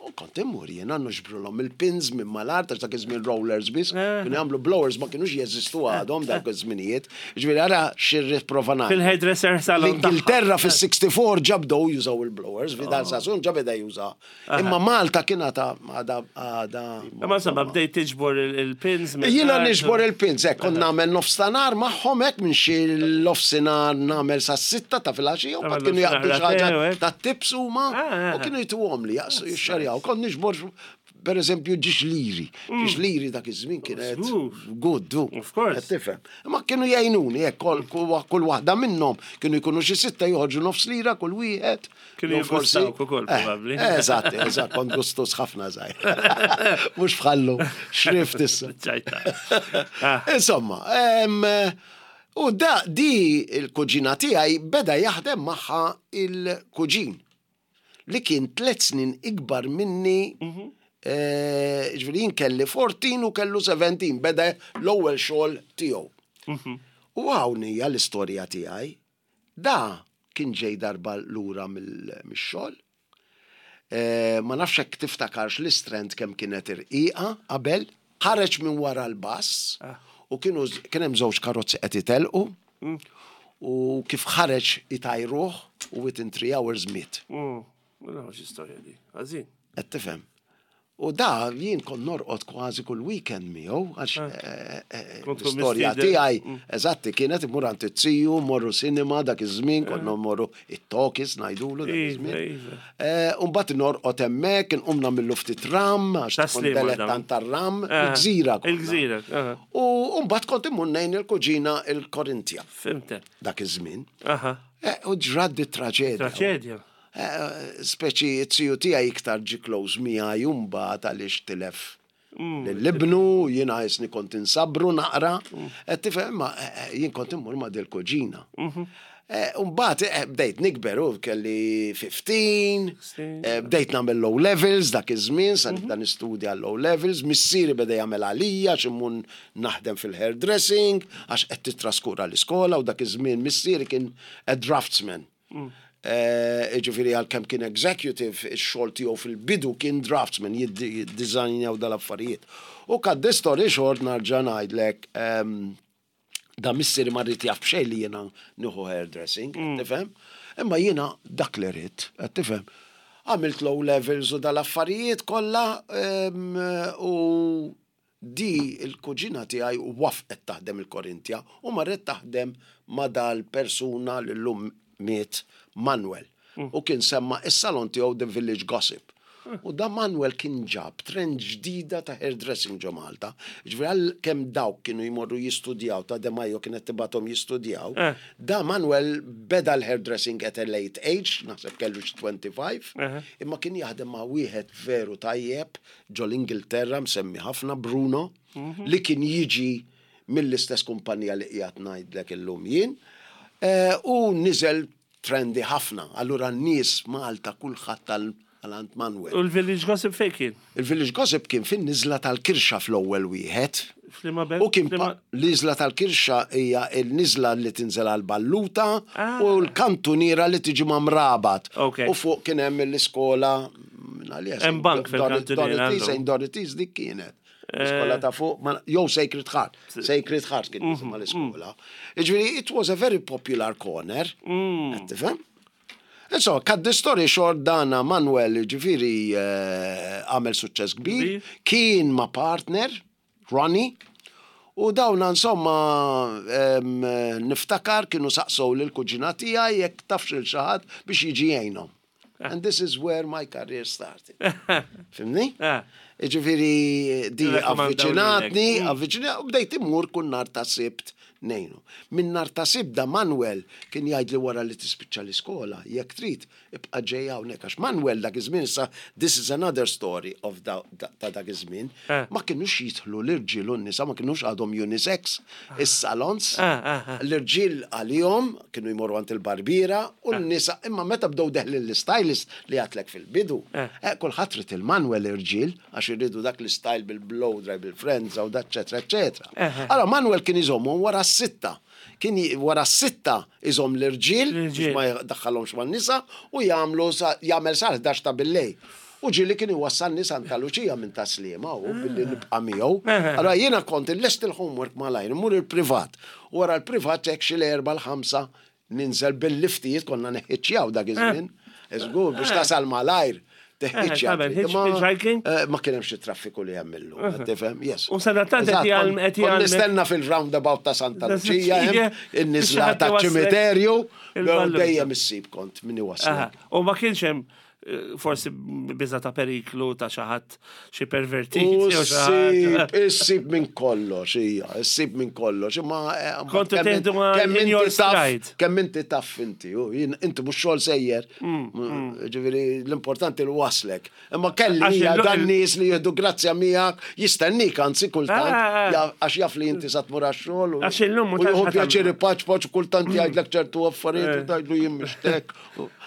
U kont immur jiena nuġbrulhom il-pins minn mal-art, għax dak iż-żmien rollers biss, Eh. kienu jagħmlu blowers ma kienux jeżistu għadhom dak iż-żminijiet. Ġifieri ara xirrid prova ngħid. Fil-hairdresser salon tagħha. L-Ingilterra fis-erbgħa u sittin ġa bdew jużaw il-blowers, Vidal Sassoon ġa beda juża. Imma Malta kien għada għada għada. Imma insomma bdejt tiġbor il- il-pins. minn Jiena art u- niġbor il-pins, hekk kont nagħmel nofstanhar magħhom hekk minn xi l-nofsinhar nagħmel sa sitta ta' filgħaxija u Tagħmel mbagħad kienu jaqbdu xi nofsinhar ħaġa latte, u hekk. ta' tips huma Ah, ah, u kienu jtuhom li jaqsu jixxarjaw. Kont niġbor per eżempju ġiex liri. Ġiex liri dak iż-żmien kienet Żgur. good, du. Of course. Qed tifhem. Imma kienu jgħinuni hekk kull kull- kull waħda minnhom kienu jkunu xi sitta joħorġu nofs lira kull wieħed. Kienu Jew forsi- jiggustawk ukoll, Eh, probabbli. Eżatt, eżatt, kont gustus ħafna żgħir. Mhux bħallu, xrift issa. ċajta. Ah. Insomma, em, u da di il-kuġina tiegħi beda jaħdem magħha il-kuġin li kien tliet snin ikbar minni. eh, Ġifieri jien kelli erbatax u kellu sbatax, beda l-ewwel xogħol tiegħu. U hawn hija l-istorja tiegħi. Da Kien ġej darba lura mill-xogħol. Eh, ma nafx hekk tiftakarx l-Istrand kemm kienet irqiqa qabel, ħareġ minn wara l-bus u kienu kien hemm żewġ karozzi qed itelqu u kif ħareġ itajruh u within three hours miet. Mm, Ma nafx istorja di. Għażin. Qed tifhem. U da jien kont norqod kważi kull weekend miegħu għax eh, eh, Kont tkun l-istorja mistieden. tiegħi eżatti kienet imur għand it-tiju, morru cinema dak iż-żmien, konna mmorru it-talkies ngħidulu dak Iva, iż-żmien. iva. Eh, U mbagħad norqod hemmhekk, inqum nagħmillu ftit ram, għax Ta' tkun Sliema dan. dilettant tar-ram, Ah, il-gżira konna. Il-gżira, aha. U mbagħad kont immur ngħin il-kuġina il-Korintja Fhimtek. dak iż-żmien. Aha. Eh, U ġrat di traġedja. Traġedja. Eh, Speċi it-tiju tiegħi iktar ġi close miegħi mbagħad għaliex tilef L-ibnu, jiena jisni kont insabru naqra, qed tifhem, ma eh, eh, jien kont immur ma' dil-kuġina. Eh, Umbagħad eh, bdejt nikber u kelli ħmistax, eh, bdejt nagħmel O levels dak iż-żmien, sa nibda nistudja l-O levels, missieri beda jagħmel għalija għax immur naħdem fil-hairdressing, għax qed titraskura l-iskola u dak iż-żmien missieri kien a draftsman. Eh, Ġifieri għal kemm kien executive, ix-xogħol tiegħu fil-bidu kien draftsman, jiddiżajnjaw dal-affarijiet. U cut the story short nerġa' ngħidlek, ehm, da missieri ma ried jaf b'xejn li jiena nieħu hairdressing, tifhem? Imma jiena dak li rrid, qed tifhem? Għamilt O levels u dal-affarijiet kollha em, u di il-kuġina tiegħi wafqet taħdem il-Korintja u marret taħdem ma dal-persuna li llum miet Manuel. U kien semma is-salon tiegħu The Village Gossip. U da Manuel kien ġab trend ġdida ta' hairdressing ġo Malta. Ġifieri għal kemm dawk kienu jmorru jistudjaw, ta' De Majo kienet tibgħathom jistudjaw. Eh. Da Manuel beda l-hairdressing at a late age, naħseb kellu xi twenty-five, Eh. imma kien jaħdem ma' wieħed veru tajjeb ġo l-Ingilterra msemmi ħafna Bruno, li kien jiġi mill-istess kumpanija li qiegħed ngħidlek illum jien. Eh, U niżel trendy ħafna. Allura n-nies Malta kulħadd tal għand Manuel. U l-Village Gossip fejn kien? Il-Village Gossip kien fin-niżla tal-Kirxa fl-ewwel wieħed. F'liema belt? U kien F'liema- pa- l-iżla tal-Kirxa hija l-niżla li tinżel għal-Balluta Ah. u l-kantuniera li tiġi ma' Mrabat. Ok. U fuq kien hemm l-iskola minn għalija, Hemm bank fil-kantuniera Dorothy's, għandhom. Saint Dorothy's dik kienet. L-iskola ta' fuq, ma- jew Sacred Heart. Sacred Heart kien Mhm, jisimha l-iskola. Ġifieri, it was a very popular corner. Mm. Qed tifhem? Insomma, cut the story short dana Manuel ġifieri eh, għamel suċċess kbir, Kbir. kien ma' partner, Ronnie, u dawna insomma em, niftakar kienu saqsow lil kuġina tiegħi jekk tafx lil xi ħadd biex jiġi jgħinhom. And this is where my career started. Fhimtni? Ah. Ġifieri di Irrakkomandaw avviċinatni, lilek. avviċinat, u bdejt immur kull nar ta' Sibt ngħinu. Minn nar ta' Sibt da Manuel kien jgħid li wara li tispiċċa l-iskola, jekk trid, ibqa' ġej hawnhekk għax Manuel dak iż-żmien issa this is another story of da, da, ta' dak iż-żmien. Eh. Ma kinux jidħlu l-irġiel u n-nisa, ma kinux għadhom unisex is-salons. Ah, ah, ah. L-irġiel għalihom kienu jmorru għand il-barbiera u n-nisa imma meta bdew deħlin l-stylist li għedtlek fil-bidu, Eh. eh, kulħadd ried il-Manuel irġiel għax irridu dak l-style bil-blow dry, bil-friends u da eccetera, eccetera. Eh. Allora Manuel kien iżommhom wara s-sitta. Kien j- wara s-sitta iżomm l-irġiel L-irġiel. biex ma jdaħħalhomx man-nisa u jagħmlu sa- jagħmel sa ħdax ta' billejl. U ġieli kien iwassalni Santa Luċija minn Tas-Sliema u billi nibqa' miegħu. Allora jiena kont illest il-homework malajr, immur il-privat. U wara l-privat hekk xi l-erba' l-ħamsa ninżel bil-liftijiet konna neħħiċċjaw dak iż-żmien. Żgur biex tasal malajr. Teħħiċċja. tagħmel hitch- Ma- hitchhiking? eh, Ma kien hemm xi traffiku li hemm illum, tifhem? Yes. U sadattant qed Eżatt, jgħallem- kont- qed kont jgħallmek- Nistenna fil-roundabout ta' Santa Luċija, hemm in-niżla Biex ta' ħadd ċimiterju, il-balluta. dejjem issib kont min Aha. iwaslek. U ma kienx hemm eh, forsi biża ta' periklu ta' xi ħadd xi pervertit U jew xi ħadd. ssib, issib minn kollox, hija, issib minn kollox, imma eh, Kontu kemm teħdu ma' kemm in your inti taf- stride. Kemm inti taf inti, u jien- inti mhux xogħol sejjer. Mm, Ġifieri l-importanti li waslek. Imma kelli Għax hija il- dan nies li jieħdu grazzja miegħek, jistennik anzi kultant, Ah, ah. ja- għax jaf li inti sa tmur għax-xogħol. u- Għax illum U mhux jieħu għax pjaċir paċ paċ kultant jgħidlek ċertu affarijiet u tgħidlu jien mixtek.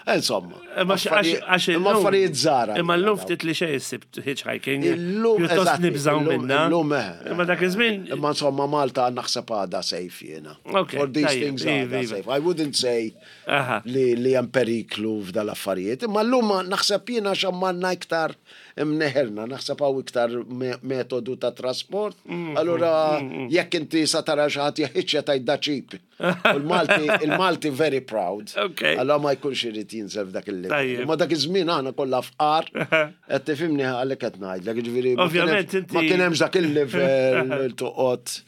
Insomma. Eh, Ma x- affarijiet- għax Għax Imma illum- affarijiet żgħar. Imma llum ftit li xejn issib hitchhiking. Illum, Pjuttost eżatti, nibżaw illum- minna. Illum, eh. Imma dak iż-żmien. Imma insomma Malta naħseb għadha safe jiena. Ok, For these tajjeb, things iva, għadha iva. safe. I wouldn't say Aha. li li hemm periklu f'dal-affarijiet. Imma llum naħseb jiena xammanna iktar imneħerna, naħseb hawn iktar me- metodu ta' trasport. Mm, Allura jekk inti sa tara xi ħadd jaħiċċja tgħid da cheap. U l-Malti, il-Malti very proud. Ok. Allora ma jkunx irid jinżel f'dak il-level. Tajjeb. Imma dak iż-żmien aħna kollha fqar, qed tifhimni għalhekk qed ngħidlek, jiġifieri ma kien hemm- Ovvjament inti- ma kien hemmx dak il-level toqgħod.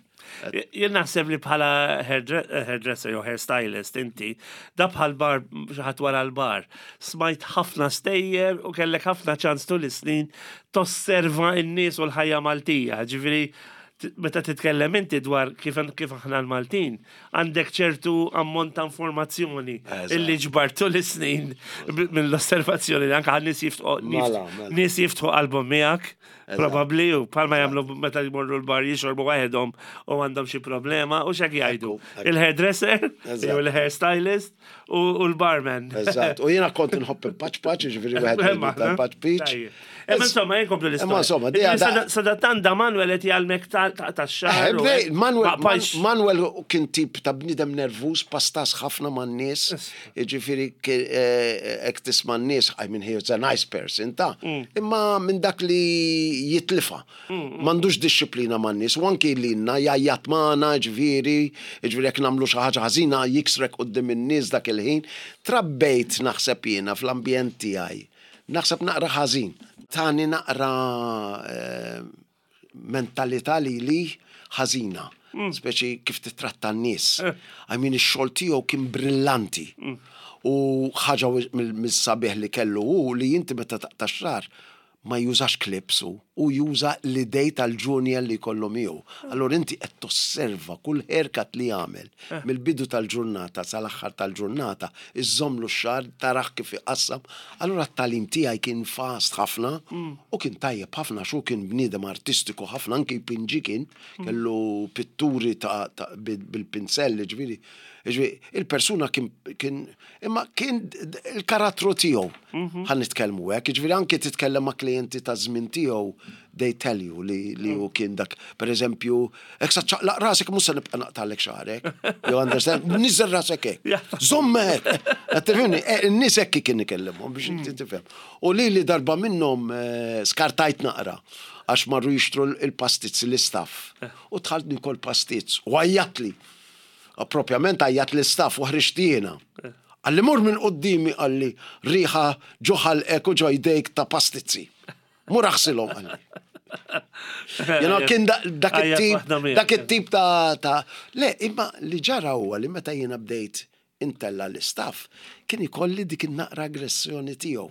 Jien naħseb li bħala hairdre- hairdresser jew hairstylist inti, da bħal bar xi ħadd wara l-bar. Smajt ħafna stejjer u kellek ħafna ċans tul is-snin tosserva n-nies u l-ħajja Maltija. Ġifieri t- meta titkellem inti dwar kif kif aħna l-Maltin, għandek ċertu ammont ta' informazzjoni Eżatt. illi ġbartu l-snin b- mill-osservazzjoni li anke għan nies jiftħu Mela, mela. nies jiftħu qalbhom miegħek, probabbli u palma jagħmlu meta jmorru l-bar jixorbu waħedhom u għandhom xi problema u x'hekk jgħidu. Ekku, ekku. Il-hairdresser, Eżatt. jew il-hairstylist u u l-barman. Eżatt. U jiena kont inħobb il-paċ paċ, ġifieri wieħed Imma, tal-paċ peach. Tajjeb. Imma insomma, jien komplu l-istorja. Imma insomma, di Ġifieri għada- Sadattan da Manuel qed jgħallmek ta' ta' tax-xagħar. Eh, u bdej, hekk. Manuel, Ma- paċ- Manuel kien tip ta' bnidem nervus, pastas ħafna man nies, ġifieri ek tisma' n-nies, I mean, he was a nice person, ta' Mm. imma minn dak li jitlifa. M'għandux disċiplina man nies, u anki lilna jgħajjat magħna, ġifieri, ġifieri jekk nagħmlu xi ħaġa ħażina jiksrek quddiem in-nies dak il-ħin. Trabbejt naħseb jiena fl-ambjent tiegħi. Naħseb naqra ħażin. Tani naqra eh, mentalità li li ħażina. Speċi kif titratta n-nies. I mean, ix-xogħol tiegħu kien brillanti. U ħaġa mill- mis-sabiħ li kellu hu li inti meta taqta' xagħar ma jużax clips u u juża l-idej tal-junior li kollu miegħu. Allora inti qed tosserva kull haircut li jagħmel mill-bidu tal-ġurnata sal-aħħar tal-ġurnata, iżommlu x-xagħar tarah kif iqassam. Allora t-tagħlim tiegħi kien fast ħafna u kien tajjeb ħafna xu kien bniedem artistiku ħafna anki jpinġi kien kellu pitturi ta' ta' bil- bil-pinsell, ġifieri. Ġifieri, il-persuna kien, kien imma kien d- il-karattru tiegħu. Ħa nitkellmu hekk, ġifieri anki titkellem ma' klijenti ta' żmien tiegħu, they tell you li, li hu kien dak, per eżempju, hekk sa ċaqlaq rasek mhux se nibqa' naqtalek xagħrek. You understand? Niżel rasek hekk. Żomm hekk. Qed tifhimni? Eh, In-nies hekk kien ikellimhom biex inti tifhem. U li li darba minnhom eh, skartajt naqra għax marru jixtru il-pastizz l-istaff. U dħalt nikol pastizz u għajjatli. Propjament għajjat l-istaff u ħriġt jiena. Qalli mur minn qoddimi qalli riħa ġo ħalqek u ġo jdejk ta' pastizzi. Mur aħsilhom qalli. You know, kien da- dak Għajjat it-tip, waħda miegħek. dak it-tip ta' ta' Le, imma li ġara huwa li meta jiena bdejt intella l-istaff, kien ikolli dik in-naqra aggressjoni tiegħu.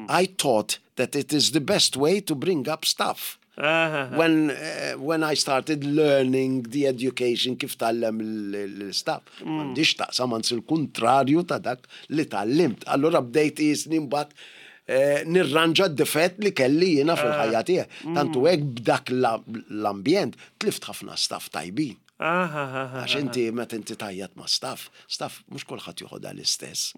I thought that it is the best way to bring up staff. Aha. When, uh, when I started learning the education kif tgħallem l-staff, m'għandix taqsam anzi il-kontrarju ta' dak li tgħallimt. Allora bdejt jisni mbagħad eh, nirranġa d-difett li kelli jiena fil-ħajja tiegħi. Tantu hekk b'dak la- l-ambjent tlift ħafna staff tajbin. Aha, aha. Għax inti meta inti tgħajjat ma' staff, staff mhux kulħadd joħodha l-istess.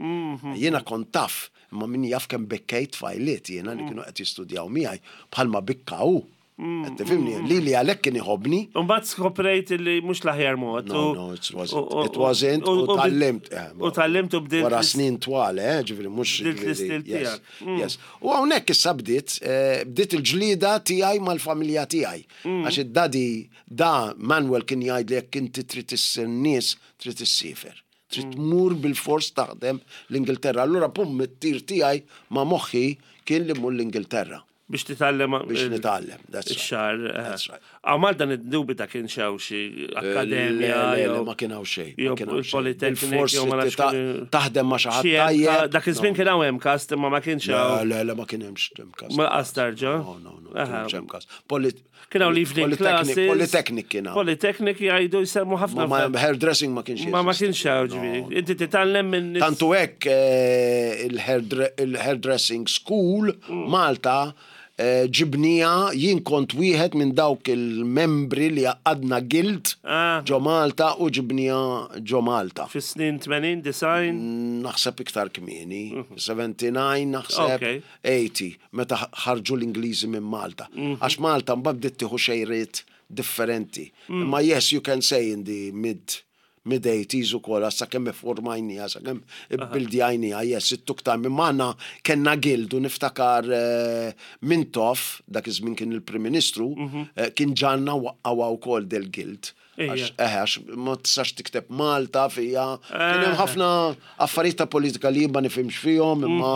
Jiena kont taf, imma min jaf kemm bekkejt tfajliet jiena li kienu qed jistudjaw miegħi bħalma bikkaw. Qed tifhimni, li li għalhekk kien iħobbni. Mbagħad skoprejt li mhux l-aħjar mod. No, u- no, it wasn't. u- u- It wasn't, u u- tgħallimt. eh, U tgħallimt u bdilt. Wara snin twal, eh, ġifieri, mhux. Bdilt l-istil ġifieri, yes, tiegħek. Yes. U hawnhekk issa bdiet, eh, bdiet il-ġlida tiegħi mal-familja tiegħi. Għax id-daddy da Manuel kien jgħid li jekk inti trid issir nies, trid issiefer. Trid tmur bil-fors taħdem l-Ingilterra. Allura pum it-tir tiegħi ma' moħħi kien li mmur l-Ingilterra Biex titgħallem. biex nitgħallem. That's right. Ix-xagħar. That's right. Għaw Malta niddubita kien xaw xi akkademja. Le, le, le, jew- ma kien hawn xejn. ma jew kien hawn xejn. il-Polytechnic, Bil-fors jew ma nafx tita- kien- Taħdem ma' xi ħadd Xi hemm ka- tajjeb. Dak iż-żmien kien hawn MCAST imma ma kienx Le, hawn. le, le, ma kien hemmx MCAST. Ma qastarġa. No, no, no, Aha. kien hemmx MCAST. Polit- Kien hawn evening Polytechnic- classes. Polytechnic kien hawn. Polytechnic jgħidu jsemmu ħafna. Ma ma- hairdressing ma kienx Ma ma jeżisti. kienx hawn ġifieri. Inti titgħallem minn nies- Tantu hekk eh, il-hairdre- il-hairdressing school Mm. Malta Eh, Ġibnieha, jien kont wieħed minn dawk il-membri li għaqqadna guild Ah. ġo Malta u ġibnieha ġo Malta. Fis-snin tmenin, disgħin. Naħseb iktar kmieni, sebgħa u sebgħin naħseb Okay. tmenin, meta ħarġu l-Ingliżi minn Malta. Għax Malta mbagħad bdiet tieħu xejriet differenti. Imma yes, you can say in the mid mid-eighties u kol, sa kemm formajnieha, sa kemm bildjajnieha, yes, it took time. Imma aħna kellna guild u niftakar eh, Mintoff, dak iż-żmien kien il-Prim Ministru, eh, kien ġagħalna nwaqqfuha wkoll del-guild. Ija. Għax, eh, għax ma tistax tikteb Malta fija. Kien hemm ħafna affarijiet ta' politika li ma nifhimx fihom, imma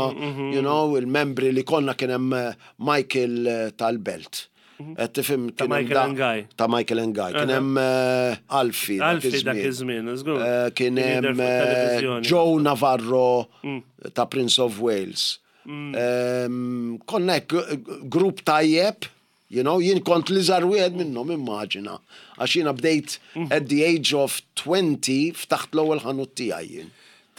you know, il-membri li konna kien hemm eh, Michael eh, tal-Belt. Qed tifhem Ta' kien hemm Michael da- and Guy. Ta' Michael and Guy. Kien hemm eh, Alfie. dak Alfie dak iż-żmien, żgur. Eh, Kien jidher hemm fuq eh, televizjoni. Joe Navarro ta' Prince of Wales. Em, Konna hekk eh, grupp tajjeb, you know, jien kont l-iżgħar wieħed minnhom, immaġina. Għax jiena bdejt at the age of twenty, ftaħt l-ewwel ħanut tiegħi jien.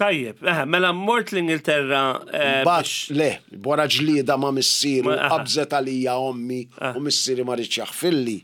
Tajjeb, eh, mela mort l-Ingilterra eh, Bat, biex- le, wara ġlieda ma' missieru, Ma- aha. qabżet għalija ommi u missieri ma riedx jaħfirli.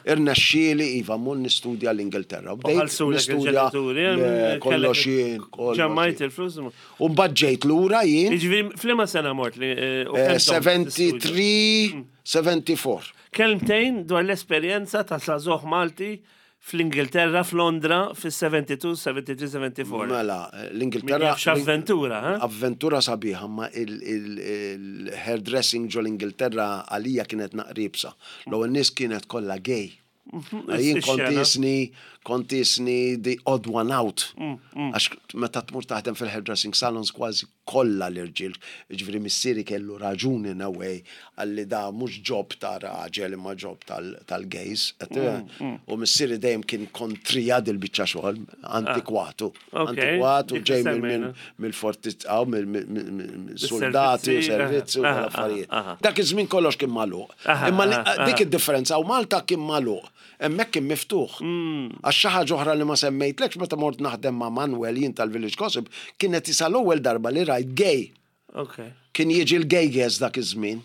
Irnexxieli, iva, mmur nistudja l-Ingilterra. U bdejt ħallsulek nistudja il-ġenituri, le, eh, kollox kellek- jien, kollox Ġammajt jien. il-flus. U mbagħad ġejt lura jien, Jiġifieri, f'liema sena mort li eh, u eh, kemm domt tistudja? sebgħa u sebgħin, sebgħa u erbgħin. Kelmtejn dwar l-esperjenza ta' żagħżugħ Malti fl-Ingilterra, f'Londra, fis-sebgħa u sebgħin, sebgħa u tlieta, sebgħa u erbgħa. Mela, Min l-Ingilterra. jaf x'avventura, ha? Avventura sabiħa, ma il-hairdressing ġo l-Ingilterra għalija kienet naqra iebsa. L-ewwel nies kienet kollha gay. Jien kont Ix-xena. jisni, kont jisni the odd one out. Għax meta tmur taħdem fil-hairdressing salons kważi kollha l-irġiel. Ġifieri missieri kellu raġun in a way għalli da mhux job ta' raġel imma job tal- tal-gays. U missieri dejjem kien kontrija dil-biċċa xogħol, antikwatu. Ok, Antikwatu dik ġej semmejna. mill-fortiz, mill-soldati u Bis-servizzi, servizzi u aha, tal-affarijiet. aha. Dak iż-żmien kollox kien magħluq. Aha, Imma li- aha, dik id-differenza u Malta kien magħluq. Hemmhekk kien miftuħ. Għax xi ħaġa oħra li ma semmejtlekx, meta mort naħdem ma' Manuel jien tal-Village Gossip, kienet isa l-ewwel darba li rajt gay. Ok. Kien jiġi l-gay dak iż-żmien.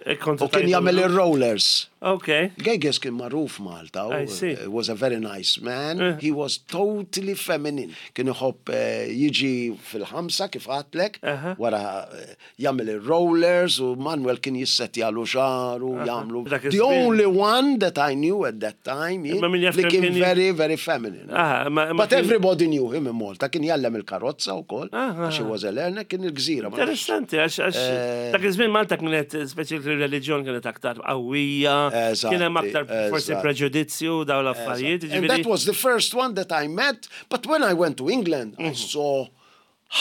E kontu U kien tajtu jagħmel lu? ir-rollers. Ok. Gay kien magħruf Malta. u I see. He was a very nice man. He was totally feminine. Kien iħobb eh, jiġi fil-ħamsa kif għedtlek, Aha. wara eh, jagħmel ir-rollers u Manuel kien jissettjalu xagħru, jagħmlu. Dak The iż-żmien. only one that I knew at that time jien, Imma min jaf li kemm kien kien very, very feminine. Aha, ma- ma But kien- everybody knew him in Malta. Kien jgħallem il-karozza u kollox. Aha. Għax he was a learner, kien il-Gżira. ma nafx. Interessanti, għax għax Eh. dak iż-żmien Malta kienet speċi il-reliġjon kienet aktar qawwija, Eżatti, kien hemm aktar forsi eżatt. preġudizzju daw l-affarijiet. And that ġifieri- was the first one that I met. But when I went to England, I saw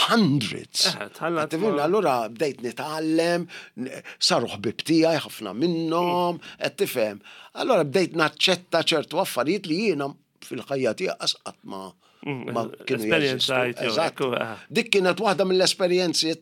hundreds. Eh, tħallat Tifhimni, ma- allura bdejt nitgħallem, n- saru ħbib tiegħi ħafna minnhom, qed tifhem. Allura bdejt naċċetta ċertu affarijiet li jiena fil-ħajja tiegħi qas qatt ma ma kienu jeżistu. Esperjenzajt, jew, Eżatt. ekku, eh. Dik kienet waħda mill-esperjenzi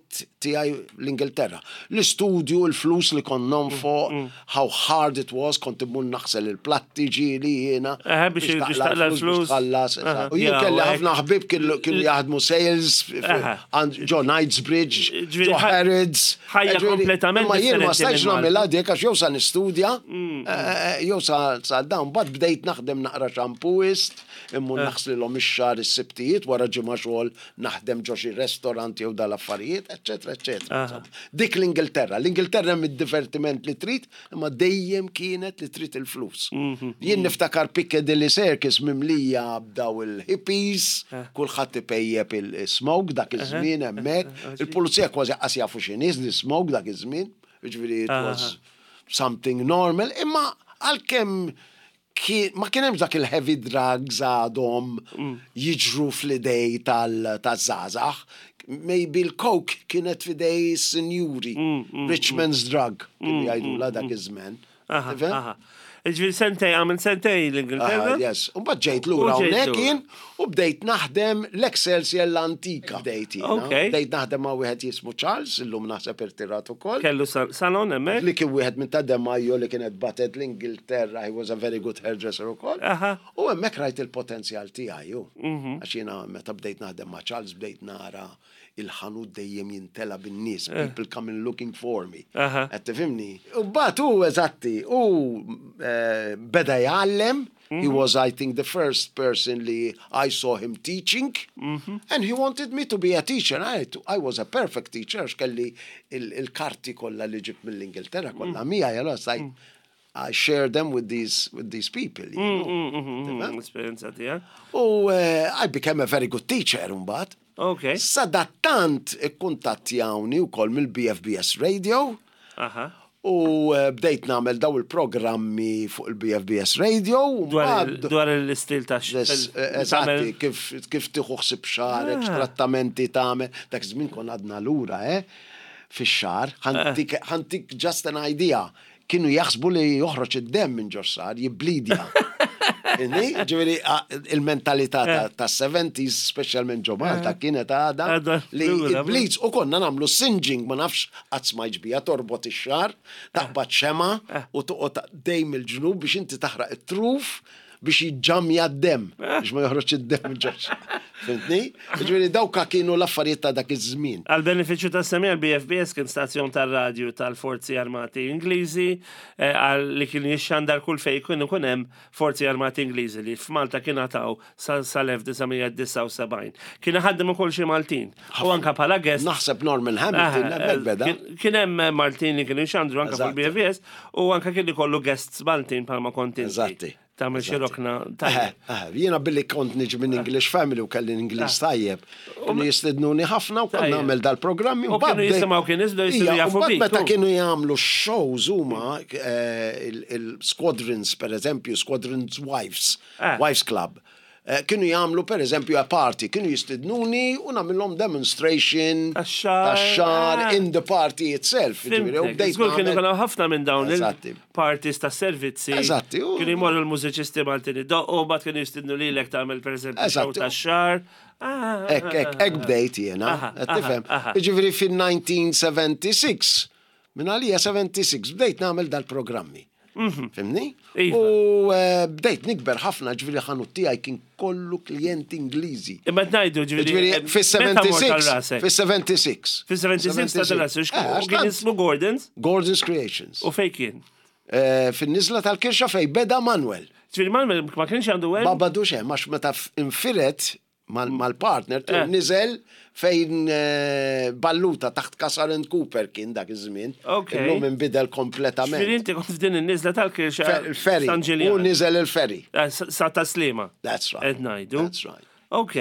tiegħi l-Ingilterra. L-istudju, il-flus li kont nonfoq, how hard it was, kont immur naħsel il-platti ġieli jiena. Eh, biex- biex taqla' l-flus, l-flus. biex tħallas. Aha. Eżatt. U jien Ja, kelli u hekk. ħafna ħbib kienu kienu jaħdmu sales, f- Aha. għand- ġo Knightsbridge, Ġifieri ġo ħaj- Harrods. ħajja Ġifieri, kompletament Imma jien ma differenti stajtx minn Malta. nagħmilha dik għax jew sa nistudja, eh, eh, jew sa sa dan, bad bdejt naħdem naqra shampooist, immur naħslilhom ix-xagħar is-Sibtijiet wara ġimgħa xogħol naħdem ġo xi restaurant jew dal-affarijiet, eċetera, eċetera. Dik l-Ingilterra. L-Ingilterra mid-divertiment li trid, imma dejjem kienet li trid il-flus. Jien niftakar Piccadilly Circus mimlija b'daw il-hippies, kulħadd ipejjep il-smoke dak iż-żmien hemmhekk. Il-pulizija kważi qas jafu x'inhi l-smoke dak iż-żmien, jiġifieri it was something normal, imma għalkemm kien- ma kien hemm dak il-heavy drugs għadhom jiġru fl-idej tal-żgħażagħ. Maybe l-coke kienet f'idej sinjuri, rich man's drug, kienu jgħidu dak iż-żmien. Aha, Tifhem? aha. Ġifieri sentej, għamil sentej l-Ingilterra? Aha, yes. U mbagħad ġejt lura U ġejt hawnhekk lura. jien u bdejt naħdem l-Excelsior l-antika. Bdejt jiena. Ok. Bdejt naħdem ma' wieħed jismu Charles, illum naħseb irtirat ukoll. Kellu sal- salon hemmhekk? Li kien wieħed minn ta' Demajo li kienet batet l-Ingilterra, he was a very good hairdresser ukoll. Aha. U hemmhekk rajt il-potenzjal tiegħi ju. Għax jiena meta bdejt naħdem ma' Charles bdejt nara il-ħanut dejjem jintela bin-nies, people coming looking for me. Aha. Qed tifhimni? U mbagħad hu eżatti, u eh, beda jgħallem. He was, I think, the first person li I saw him teaching, and he wanted me to be a teacher. I, I was a perfect teacher, għax kelli il- il-karti kollha li ġibt mill-Ingilterra kollha miegħi, allora I, I share them with these, with these people. You know? Mm, Esperienza tiegħek. U eh, I became a very good teacher mbagħad. Ok. Sadattant ikkuntattjawni wkoll mill-B F B S Radio Aha. u eh, bdejt nagħmel daw il-programmi fuq il-B F B S Radio u Dwar il- mbagħad- dwar l-istil ta' Les- eh, Eżatti, kif, kif tieħu ħsieb xagħrek, trattamenti tagħmel, dak żmien kon għadna lura, eh? Fix-xagħar, ħa ntik ħa ntik just an idea. Kienu jaħsbu li joħroġ id-dem minn ġo xagħar, jiblidja. Inni, ġifieri, a- il-mentalità ta' ta' seventies, specialment ġo Malta, kienet għada Għadha li lura, il-bleeds, u konna nagħmlu singeing, ma nafx qatt smajtx biha, torbot ix-xagħar, taqbad xemgħa u toqgħod dejjem il-ġnub biex inti taħraq it-truf biex jiġġamja d-dem, biex ma joħroġ id-dem ġo. Fhimtni? Ġifieri dawka kienu l-affarijiet ta' dak iż-żmien. Għal beneficju ta' semmi, għal B F B S kien stazzjon tal-radju tal-Forzi Armati Ingliżi eh, għal li kien jixxandar kull fej kien ikun hemm Forzi Armati Ingliżi li f'Malta kien għataw sal-elf disa' mija disgħa u sebgħin. Kien ħaddem ukoll xi Maltin. U anka bħala guest. Naħseb Norman Hamilton, Aha, hemmhekk beda. Kien kien hemm Maltin li kienu jxandru anka Eżatti. fil-B F B S u anka kien ikollu guests Maltin bħalma kont inti. Eżatti. Tagħmel xi Eżatti. rokna Eh, tajjeb. eh, Jiena billi kont niġi minn English family u kelli Ingliż tajjeb. Kienu jistednuni ħafna u kont Tajjeb. nagħmel dal-programmi. U kienu jisimgħu kien iżdu jisiru Ija, jafu u mbagħad bik, meta u. kienu jagħmlu shows huma eh, il- il-squadrons, per eżempju, squadrons wives, Eh. wives club. Eh, Kienu jagħmlu per eżempju a party, kienu jistednuni u nagħmilhom demonstration Tax-xagħar, tax-xagħar ah. in the party itself. Ġifieri, u Fhimtek. bdejt Żgur kienu nagħmel- kienu ħafna minn dawn Eżatti. il-parties ta' servizzi. Eżatti, u- Kienu jmorru l-mużiċisti Maltin id-doqqu, bat kienu jistidnu lilek tagħmel per eżempju show Eżatti. ta' xagħar. Ah, Ek, ek, ek bdejt jena, Aha, qed aha, tifhem. aha. Ġifieri fil-elf disa' mija sebgħa u disgħin, minn għalija sebgħa u disgħin, bdejt nagħmel dal-programmi. Fhimtni? Iva. U eh, bdejt nikber ħafna, ġifieri ħanut tiegħi kien kollu klijenti Ingliżi. Imma tgħidu ġifieri. Ġifieri eh, meta mort għal fis-sebgħa u disgħin, rasek? fis-sebgħa u disgħin. Fis-sebgħa u disgħin ta' rasek. Eh, għax Kien tant- ismu Gordon's Gordon's Creations. u fej kien? Eh, Fin-nizla tal-Kirxa fej beda Manuel. Ġifieri Manuel ma kienx għandu hemm? Ma badux hemm, għax meta f- infiret mal- mal-partner Eh. niżel fejn eh, Balluta taħt Casar and Cooper kien dak iż-żmien. Ok. Illum inbidel kompletament. Ġifieri inti kont f'din in-niżla tal-Kirxa. Fe- Il-ferry. San U Ġiljan. niżel il-ferry. Eh, Sa sa Taslima. That's right. Qed ngħidu. That's right. Ok.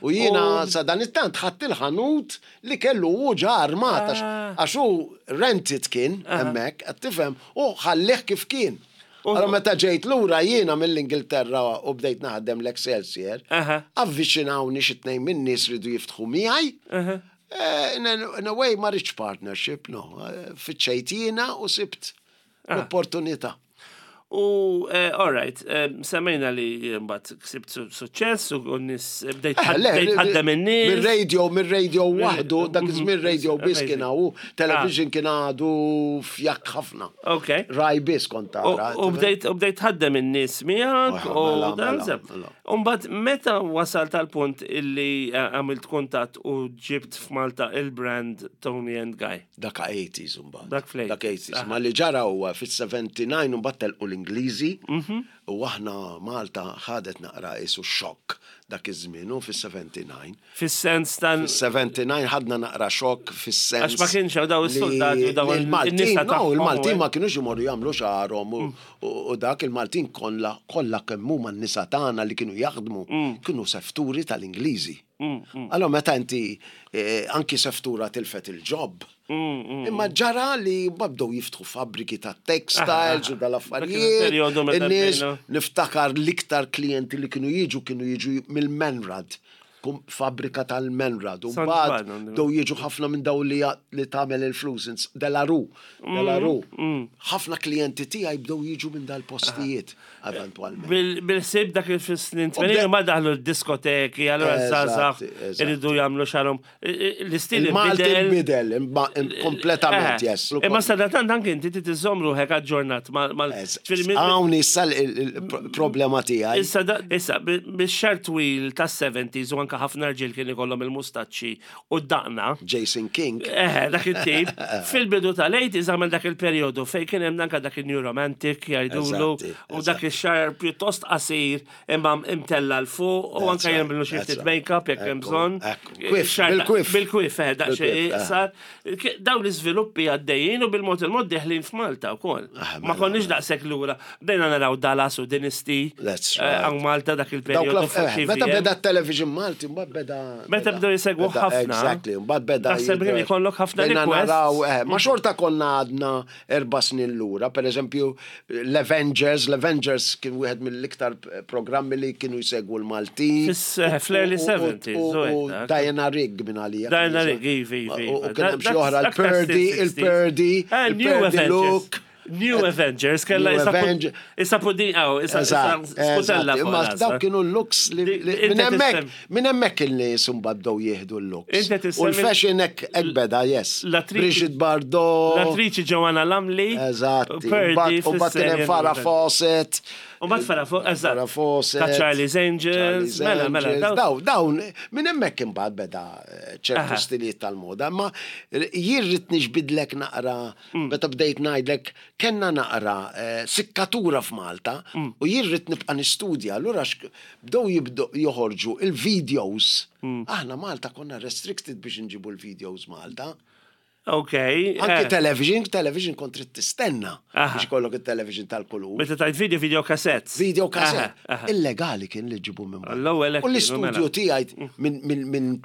U jiena sa dan it-tant ħadd il-ħanut li kellu u ġa armat għax- Ah. għax hu rented kien hemmhekk, qed tifhem, u ħallih kif kien. U- Allora meta ġejt lura jiena mill-Ingilterra u bdejt naħdem l-Excelsior, Aha. avviċinawni xi tnejn minn nies ridu jiftħu miegħi. Eh, In a, in a way ma rridx partnership, no. Eh, Fittxejt jiena u sibt l-opportunità. U, eh, all right, eh, semmejna li mbagħad ksibt su- suċċess u n-nies bdejt Eh, le, bdejt ħaddem in-nies. Mir-radio, mir-radio waħdu, dak iż-żmien radio biss Amazing. kien hawn, television kien għadu fjakk ħafna. Ok. Rai biss kont U tara. u bdejt u bdejt ħaddem in-nies miegħek Oh, u mela, dan mela, zeb. mela. U mbagħad meta wasalt tal punt illi eh, għamilt kuntatt u ġibt f'Malta il-brand Tony and Guy? Dak eighties mbagħad. Dak fl-eighties. Dak eighties. Ma li ġara huwa fis-sebgħa u disgħin mbagħad telqu l-Ingliżi Mhm. u aħna Malta ħadet naqra isu xokk dak iż-żmien u fis-sebgħa u disgħin. Fis-sens tan Fis-sebgħa u disgħin ħadna naqra xokk fis-sens. Għax ma kienx hawn daw li- is-soldati u daw li il- il-Maltin, in-nisa no, tagħhom, il-Maltin u ma kienux imorru jagħmlu xagħarhom u- u u dak il-Maltin kollha kollha kemm huma n-nisa tagħna li kienu jaħdmu kienu sefturi tal-Ingliżi. Allora meta inti eh, anki seftura tilfet il-job. Imma ġara li ma bdew jiftħu fabbriki ta' textiles u dal-affarijiet. Il-perjodu meta In-nies bdejna. niftakar l-iktar klijenti li kienu jiġu kienu jiġu mill-Menrad, kum- fabbrika tal-Menrad. U San mbagħad Ġwann, bdew jiġu ħafna minn daw li li tagħmel il-flus, ins- Delaru, Delaru. Ħafna klijenti tiegħi bdew jiġu minn dal-postijiet eventwalment. Bil- Bil-sib dak il-snin bde- tmenin ma daħlu l-diskoteki, allora Eżatti, zazax eżatti. iridu jagħmlu xagħarhom. L-istil Il-Malti inbidel. bidel, imma- im- kompletament, Eh, yes. Imma sadattant anke inti trid iżżomm ruħek aġġornat mal mal- ġifieri minn- Hawn issa il-problema tiegħi. Issa, da- issa, bix-xagħar twil tas-seventies u anka anka ħafna rġiel kien ikollhom il-mustaċċi u d-daqna. Jason King. Eh, dak it-tip. Fil-bidu tal-eighties għamel dak il-periodu fej kien hemm anka dak il-New Romantic jgħidulu Eżatti, u dak ix-xagħar pjuttost qasir imma imtella 'l fuq u anka right, jagħmlu xi that's ftit right. make-up jekk hemm Ekku, bżonn. Ekku. Quiff, Xagħar- bil-quiff. Bil-quiff, eh, daqsxejn Bil-quiff, eh. iqsar. Dawn l-iżviluppi għaddejjin u bil-mod il-mod deħlin f'Malta wkoll. Ah, Ma mela, konniex daqshekk lura. Bdejna naraw Dallas u Dynasty. That's eh, right. Hawn Malta dak Dawk il-periodu l- fuq eh, Meta T V M. beda television Malti, mbagħad beda. Meta beda- bdew jsegwu beda- ħafna. Exactly, mbagħad beda. Naħseb kien jidher. ikollok ħafna Bdejna requests. naraw, eh, ma xorta konna għadna erba' snin lura, per eżempju, l-Avengers, l-Avengers kien wieħed mill-iktar programmi li kienu jsegwu l-Maltin. Fis- eh, fl-early U- u- seventies, u- u U hekk. Diana Rigg minn għalija. Diana Rigg, ivi, ivi, U u iva. kien hemm xi Dak- oħra, dak il-Purdy, sixties. il-Purdy, Eh, New il-Purdy Avengers. look. New Avengers, kella New issa Avenger- issa pudin, aw, issa Eżatt, skutella eżatt. fuq Imma rasha. dawk kienu l-looks li Di- li- inti minn hemmhekk tissem- minn hemmhekk il-nies imbagħad bdew jieħdu l-looks. Inti U tissemmi- l-fashion hekk hekk beda, yes. L-attriċi- Brigitte Bardot. L-attriċi Joanna Lumley. Eżatti. Purdy U mbagħad kien hemm fis-serje Farah New Fawcett. U mbagħad Farah Fawcett, eżatt. Farah Fawcett. Ta' Charlie's Angels, Charlie's mela, mela, Angels. daw- Daw, dawn, minn hemmhekk imbagħad beda eh, ċertu Aha. stilijiet tal-moda, ma jien rrid niġbidlek naqra, Mm. meta bdejt ngħidlek kellna naqra eh, sikkatura f'Malta Mm. u jien rrid nibqa' nistudja, allura xk- bdew jibdu joħorġu il-videos. Mm. Aħna Malta konna restricted biex nġibu l-videos Malta. Ok. Anki eh. television, television kont trid tistenna Aha. biex ikollok il-television tal-kulur. Meta tajt video, video cassettes. Video cassette. Aha, aha. Illegali kien li ġibu minn barra. L-ewwel hekk U kienu, l-istudju mela. tiegħi minn min, min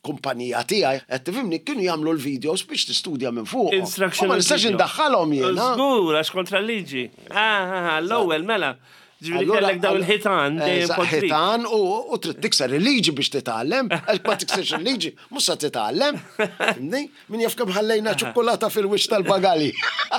kumpanija tiegħi, qed tifhimni, kienu jagħmlu l-videos biex tistudja minn fuq. Instructional Ma nistax video. indaħħalhom jiena. Żgur, għax kontra l-liġi. Ah, ah, ah, l-ewwel, mela. Ġifieri Allura- kellek daw il-ħitan dejjem Eżatt, kontrik. ħitan u u trid tikser il-liġi biex titgħallem, għax ma tiksirx il-liġi, mhux se titgħallem. Fhimni? Min jaf kemm ħallejna ċokolata fil-wiċċ tal-bagali.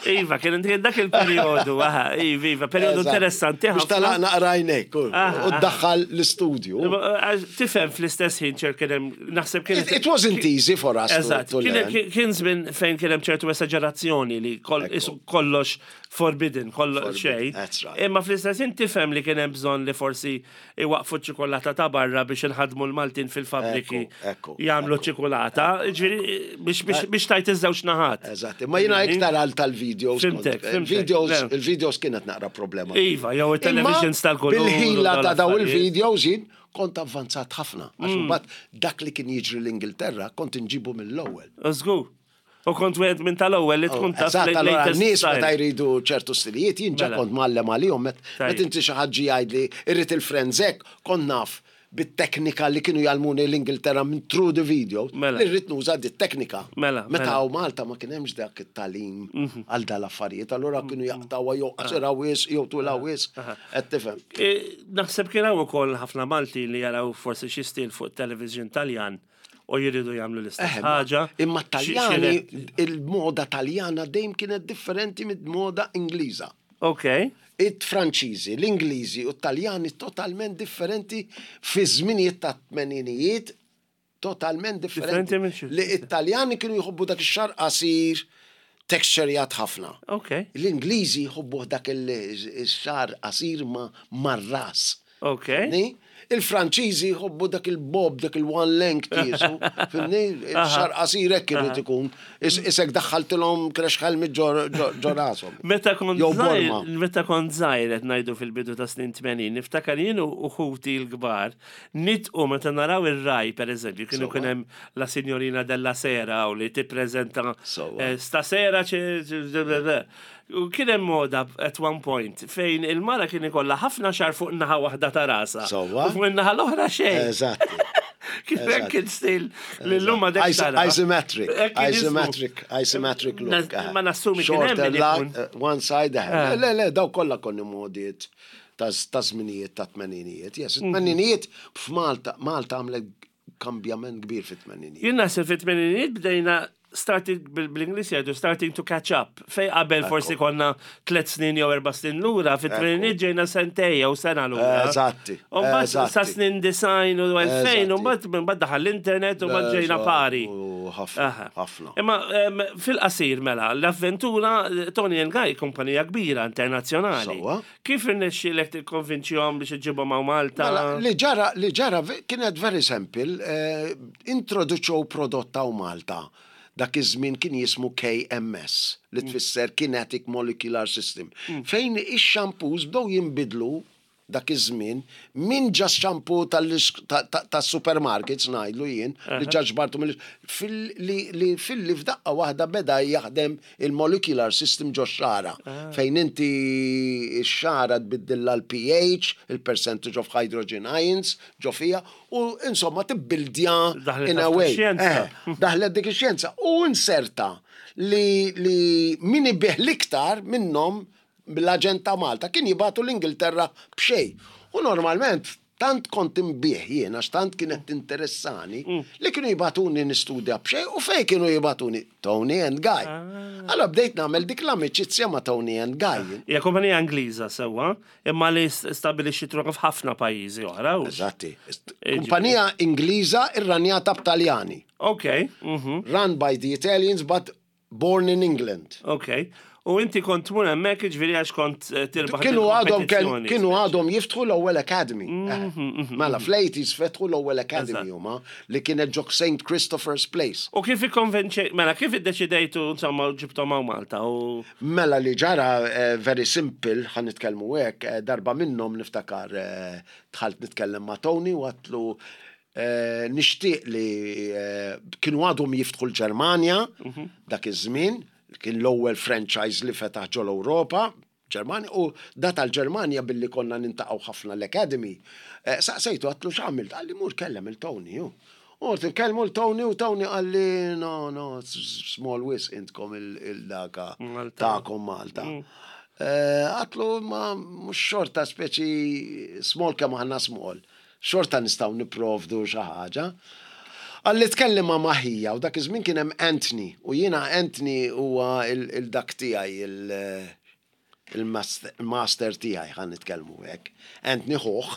Iva, kien kien dak il-periodu, aha, iva, iva, periodu Eżatt. interessanti Biex ħafna. talaq naqrajnek u Aha, u ddaħħal l-istudju. Għax tifhem fl-istess ħin ċer kien hemm naħseb kien It, it wasn't easy for us to, Eżatt, to kien learn. kien- kien żmien fejn kien hemm ċertu esagerazzjoni li kol- Ekku. isu kollox forbidden, kollox Forbidden, xejn. that's right. Imma fl-istess ħin tifhem li kien hemm bżonn li forsi iwaqfu ċikolata ta' barra biex inħadmu l-Maltin fil-fabriki Ekku, ekku, jagħmlu ekku. ċikolata, ġifieri biex biex biex tajt iż-żewġ naħat. Eżatt, ma jina iktar għal tal-videos. Fhimtek, kont- fhimtek, Il-videos, le. il-videos kienet naqra problema. Iva, jew il-televisions tal-kulur u Bil-ħila ta' daw dawn l-affarijiet. il-videos jien kont avvanzat ħafna. Għax Mm. mbagħad dak li kien jiġri l-Ingilterra kont inġibu mill-ewwel. Żgur. U kont wieħed minn tal-ewwel li tkun taf Eżatt, allora latest n-nies style. meta jridu ċertu stilijiet, jien ġa Mela. kont mgħallem għalihom, met Tajjeb. met inti xi ħadd ġie jgħidli irrid il-frenzek, kont naf bit-teknika li kienu jgħallmuni l-Ingilterra minn through the video, Mela. li rrid nuża di teknika. Mela, Meta mela. hawn Malta ma kien hemmx dak it-tagħlim għal dal-affarijiet, allura kienu jaqtawha jew qasira wisq jew twila wisq, qed tifhem. E, Naħseb kien hawn ukoll ħafna Malti li jaraw forsi xi stil fuq television Taljan u jridu jagħmlu l-istess Eh, ħaġa. Imma Xi- xi Taljani, re- il-moda Taljana dejjem kienet differenti mid-moda Ingliża. Ok. Il-Franċiżi, l-Ingliżi u t-Taljani totalment differenti fi żminijiet ta' tmeninijiet totalment differenti. Differenti minn xi- Li it-Taljani kienu jħobbu dak ix-xagħar qasir, texturejat ħafna. Ok. L-Ingliżi jħobbu dak il-xagħar qasir ma mar-ras. Ok. Fhimni? Il-Franċiżi jħobbu dak il-bob, dak il-one length jisu. Fhimni? Il-xagħar qasir hekk irid ikun. Is- Isek daħħaltilhom crash helmet ġo ġo rashom. Meta kont Jew żgħir, borma. meta kont żgħir qed ngħidu fil-bidu ta' snin tmenin, niftakar jien u ħuti l-kbar nitqu meta naraw ir-Rai pereżempju, kienu Sewwa. kien hemm la signorina della sera u li tippreżenta Sewwa. eh, stasera ċe- ċe- U kien hemm moda at one point fejn il-mara kien ikollha ħafna xagħar fuq naħa waħda ta' rasha. Sewwa. U fuq in-naħa l-oħra xejn. Eżatti. Kien hekk Eżatt. kien stil li llum ma Is- Isometric, isometric, isometric look. Na- ma nassumi kien hemm Shorter min la- ikun. eh, one side ahead. Ah. Le, le, daw kollha konni modiet ta' ta' żminijiet ta' tmeninijiet. Yes, Mhm. tmeninijiet f'Malta, Malta għamlet kambjament kbir fit-tmeninijiet. Jien naħseb fit-tmeninijiet bdejna started bil-Ingliż jgħidu starting to catch up. Fejn qabel forsi konna tliet snin jew erba' snin lura, fit-tmeninijiet ġejna sentejn jew sena lura. Eżatti, U mbagħad eżatti. sa snin disgħin u elfejn, u Eżatti. mbagħad mbagħad daħal l-internet u mbagħad ġejna pari. U ħafna, Aha. ħafna. Imma em, fil-qasir mela, l-avventura Toni and Guy kumpanija kbira internazzjonali. Sewwa. Kif irnexxielek tikkonvinċihom biex iġibhom hawn Malta? Mela, li ġara, li ġara ve- kienet very simple, eh, introduċew prodott hawn Malta. Dak iż-żmien kien jismu K M S, li tfisser Kinetic Molecular System. Fejn ix-shampoos bdew jinbidlu dak iż-żmien minn just shampoo tas-supermarkets, ngħidlu jien, li ġa ġbartu mill fil- li li fil-li f'daqqa waħda beda jaħdem il-molecular system ġo xara. Fejn inti x-xara tbiddilla l-P H, il-percentage of hydrogen ions ġo fija, u insomma tibbildja Daħlet in a ħafna way. xjenza. Eh, daħlet dik ix-xjenza. U inserta li, li min ibigħ l-iktar minnhom bil-aġent ta' Malta kien jibagħtu l-Ingilterra b'xejn. U normalment tant kont inbigħ jien, għax tant kienet interessani, li kienu jibagħtuni nistudja b'xejn. U fejn kienu jibagħtuni? Toni and Guy. Allora bdejt nagħmel dik l-amiċizzja ma' Toni and Guy. Hija kumpanija Ingliża sewwa, imma li stabbilixxiet ruħha f'ħafna pajjiżi oħra. u- Eżatti. Kumpanija Ingliża irranjata b'Taljani. Ok, mhm, Run by the Italians but born in England. Ok. U inti kont tmur hemmhekk, ġifieri għax kont eh, tirbaħ Kienu għadhom il-kompetizzjoni. Kienu għadhom jiftħu l-ewwel academy. Eh, Mela fl-eighties fetħu l-ewwel academy Eżatt. huma li kienet ġo Saint Christopher's Place. U kif ikkonvinċej, mela kif iddeċidejtu insomma ġibtom hawn Malta u Mela li ġara eh, very simple, ħa nitkellmu hekk, eh, darba minnhom niftakar eh, dħalt nitkellem ma' Tony u għedtlu eh, nixtieq li eh, kienu għadhom jiftħu l-Ġermanja dak iż-żmien, kien l-ewwel franchise li fetaħ ġol Ewropa, Ġermanja, u da tal-Ġermanja billi konna niltaqgħu ħafna l-Academy. Eh, Saqsejtu, għedtlu x'għamilt, qalli mur kellem il-Tony, ju. U nkellmu l-Tony u Tony qalli: "No, no, it's small wisq intkom il-daka Malta. tagħkom Malta." Eh, Għedtlu ma mhux xorta speċi small kemm aħna small. Xorta nistgħu nipprovdu xi ħaġa. Qalli tkellem ma' maħija u dak iż-żmien kien hemm Anthony u jiena Anthony huwa il-dak tiegħi, il- il-master tiegħi, ħa nitkellmu hekk. Anthony ħuħ.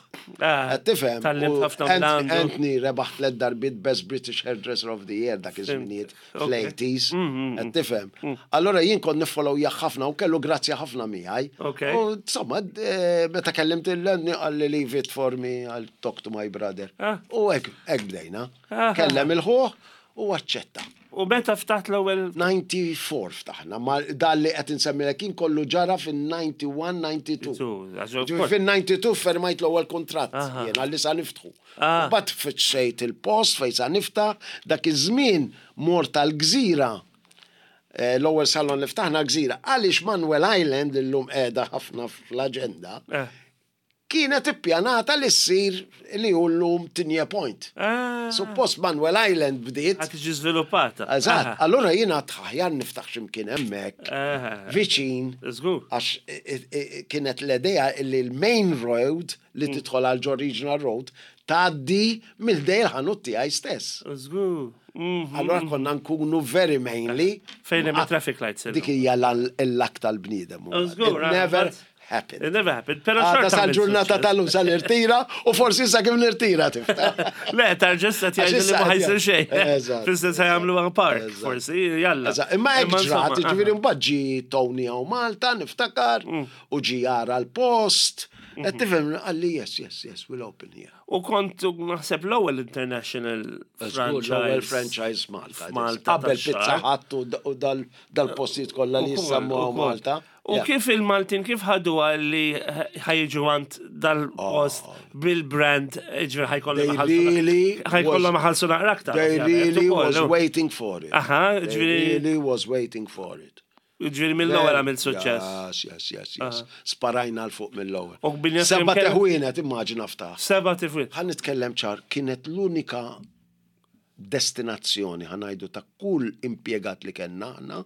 Ah, Qed tifhem? Tgħallimt U ħafna Ant- mill-għandu. Anthony rebaħ tliet darbiet Best British Hairdresser of the Year dak iż-żminijiet Ok. fl-eighties. Qed tifhem? Allora jien kont niffollowjah ħafna u kellu grazzja ħafna miegħi. Ok. U insomma, eh, meta kellimt il-Anthony qalli: "Leave it for me, I'll talk to my brother." Ah. U hekk hekk bdejna. Ah. Kellem il-ħuħ u aċċetta. U meta ftaħt l-ewwel? disgħa u disgħin ftaħna, ma dal li qed insemmilek kien kollu ġara fin-disgħa u wieħed, disgħa u tnejn. Għax of Ġifieri course. fin-disgħa u tnejn fermajt l-ewwel kuntratt Aha. jiena li sa niftħu. Ah. U mbagħad fittxejt il-post fejn sa niftaħ, dak iż-żmien mort tal-Gżira. Eh, L-ewwel salon li ftaħna Gżira. Għaliex Manuel Island illum qiegħda ħafna fl-aġenda, Eh. kienet ippjanata li ssir li hu llum Tigné Point. Ah, Suppost Manuel Island bdiet. Ħa tiġi żviluppata. Eżatt, Aha. allura jiena aħjar niftaħ x'imkien hemmhekk, Aha. viċin, Żgur. għax i- i- i- kienet l-idea li l-main road li Mm. tidħol għal ġo Regional Road tgħaddi minn ħdejn il-ħanut tiegħi stess. Żgur. Mhm. Allora konna nkunu very mainly. Fejn hemm traffic lights illum. Dik hija l-lak tal-bniedem. Żgur, It never ah, happened. It never happened. Però Għada xorta għamilt sal-ġurnata suċċess. tal-lum sal-irtira u forsi sa kif nirtira tiftaħ. Le, tarġessa Għax tgħidu li issa ma ħa jsir qed- xejn. Eżatt. Fis-sens ħa jagħmlu park, Eżatt. forsi, jalla. Eżatt, imma hekk insomma, ġrat, ġifieri aha. mbagħad ġi Tony hawn Malta, niftakar, Mm. u ġi jara l-post. Mhm. Qed tifhem, qalli: yes, yes, yes, we'll open here." U kont naħseb l-ewwel international Żgur, l-ewwel franchise. franchise Malta. F'Malta Qabel tax-xagħar. Pizza Hut u d- u dal- dal-postijiet kollha li Ukoll, jissemmu ukoll. Malta. U Yeah. kif il-Maltin, kif ħadu li ħa jiġu għand dal-post bil-brand, ġifieri ħa jkollhom Oh. They really ħa jkollhom was- iħallsu naqra aktar. They ovvjament, really ukoll, was no? waiting for it. Aha, They ġifieri really was waiting for it. Ġifieri mill-ewwel għamil suċċess. Yes, yes, yes, yes. Sparajna 'l fuq mill-ewwel. U bin-nies Seba' kemm- teħwienet, immaġina ftaħ. Seba' tifwit. Ħa nitkellem ċar, kienet l-unika destinazzjoni, ħa ngħidu, ta' kull impjegat li kellna aħna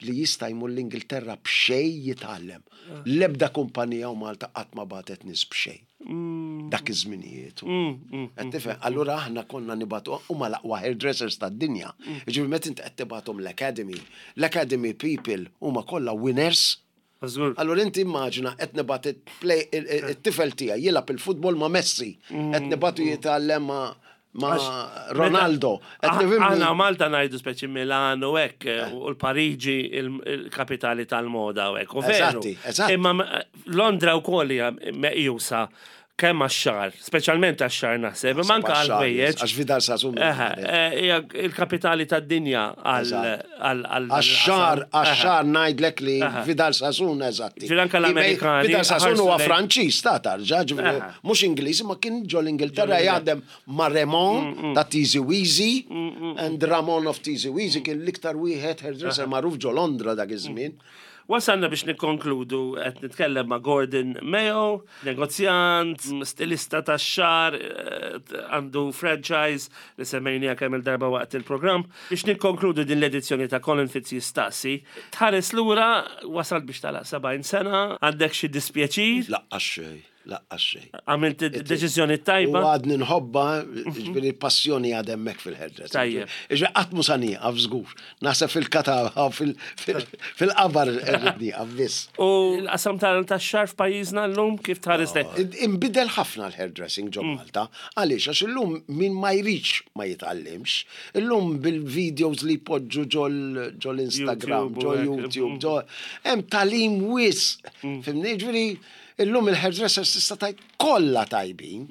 li jista' jmur l-Ingilterra b'xejn jitgħallem. L-ebda kumpanija u Malta qatt ma bagħtet nies b'xejn. Dak iż-żminijiet. Qed tifhem? Allura aħna konna nibagħtu huma l-aqwa hairdressers tad-dinja. Jiġifieri meta inti qed tibgħathom l-academy, l-academy people huma kollha winners. Żgur. Allura inti immaġina qed nibgħat it-play it-tifel tiegħi jilgħab il-futbol ma' Messi, qed nibagħtu jitgħallem ma' ma' Ronaldo. Qed Ah, nifhimni? Aħna Malta ngħidu speċi Milano u hekk, u l-Pariġi il-kapitali tal-moda u hekk. U veru. Eżatti, eżatti. Imma Londra wkoll hija meqjusa kemm għax-xagħar, speċjalment għax-xagħar naħseb, imma anke għal-ħwejjeġ. Għax Vidal Sassoon. Eħe, eh, hija il-kapitali tad-dinja għal Eżatt. għal għal Għax-xagħar, għax-xagħar ngħidlek li Aha. Vidal Sassoon, eżatti. Ġifieri anke l-Amerikani Vidal Sassoon huwa ħarsu lejn- Franċiż ta' tarġa, ġifieri Aha. mhux Ingliż, ma kien ġo l-Ingilterra jaħdem ma' Ramon ta' Tizi Weezy, and Ramon of Tizi Weezy kien l-iktar wieħed hairdresser magħruf ġo Londra dak iż-żmien. Wasalna biex nikkonkludu qed nitkellem ma' Gordon Mayo, negozjant, stilista tax-xagħar, eh, għandu franchise li semmejnija kemm il-darba waqt il-programm. Biex nikkonkludu din l-edizzjoni ta' Colin Fitz jistaqsi, tħares lura wasal biex tagħlaq sebgħin sena, għandek xi dispjaċir, Lanqas xejn, lanqas xejn. għamilt deċiżjoni U tajba. għadni nħobba, ġifieri passjoni għad hemmhekk fil-hairdressing. Tajjeb. Ġifieri qatt mhu sa nieqaf żgur. Naħseb fil-katava, fil-qabar irrid nieqaf biss. U l-qasam tal-xagħar f'pajjiżna llum kif tħares lejh? Imbidel ħafna l-hairdressing ġo Malta. Għaliex, għax illum min ma jridx ma jitgħallimx. Illum bil-videos li poġġu ġol ġol Instagram, YouTube ġo u hekk. YouTube, ġo hemm tagħlim wisq. Fhimtni, ġifieri illum il-hairdressers tista' tgħid kollha tajbin.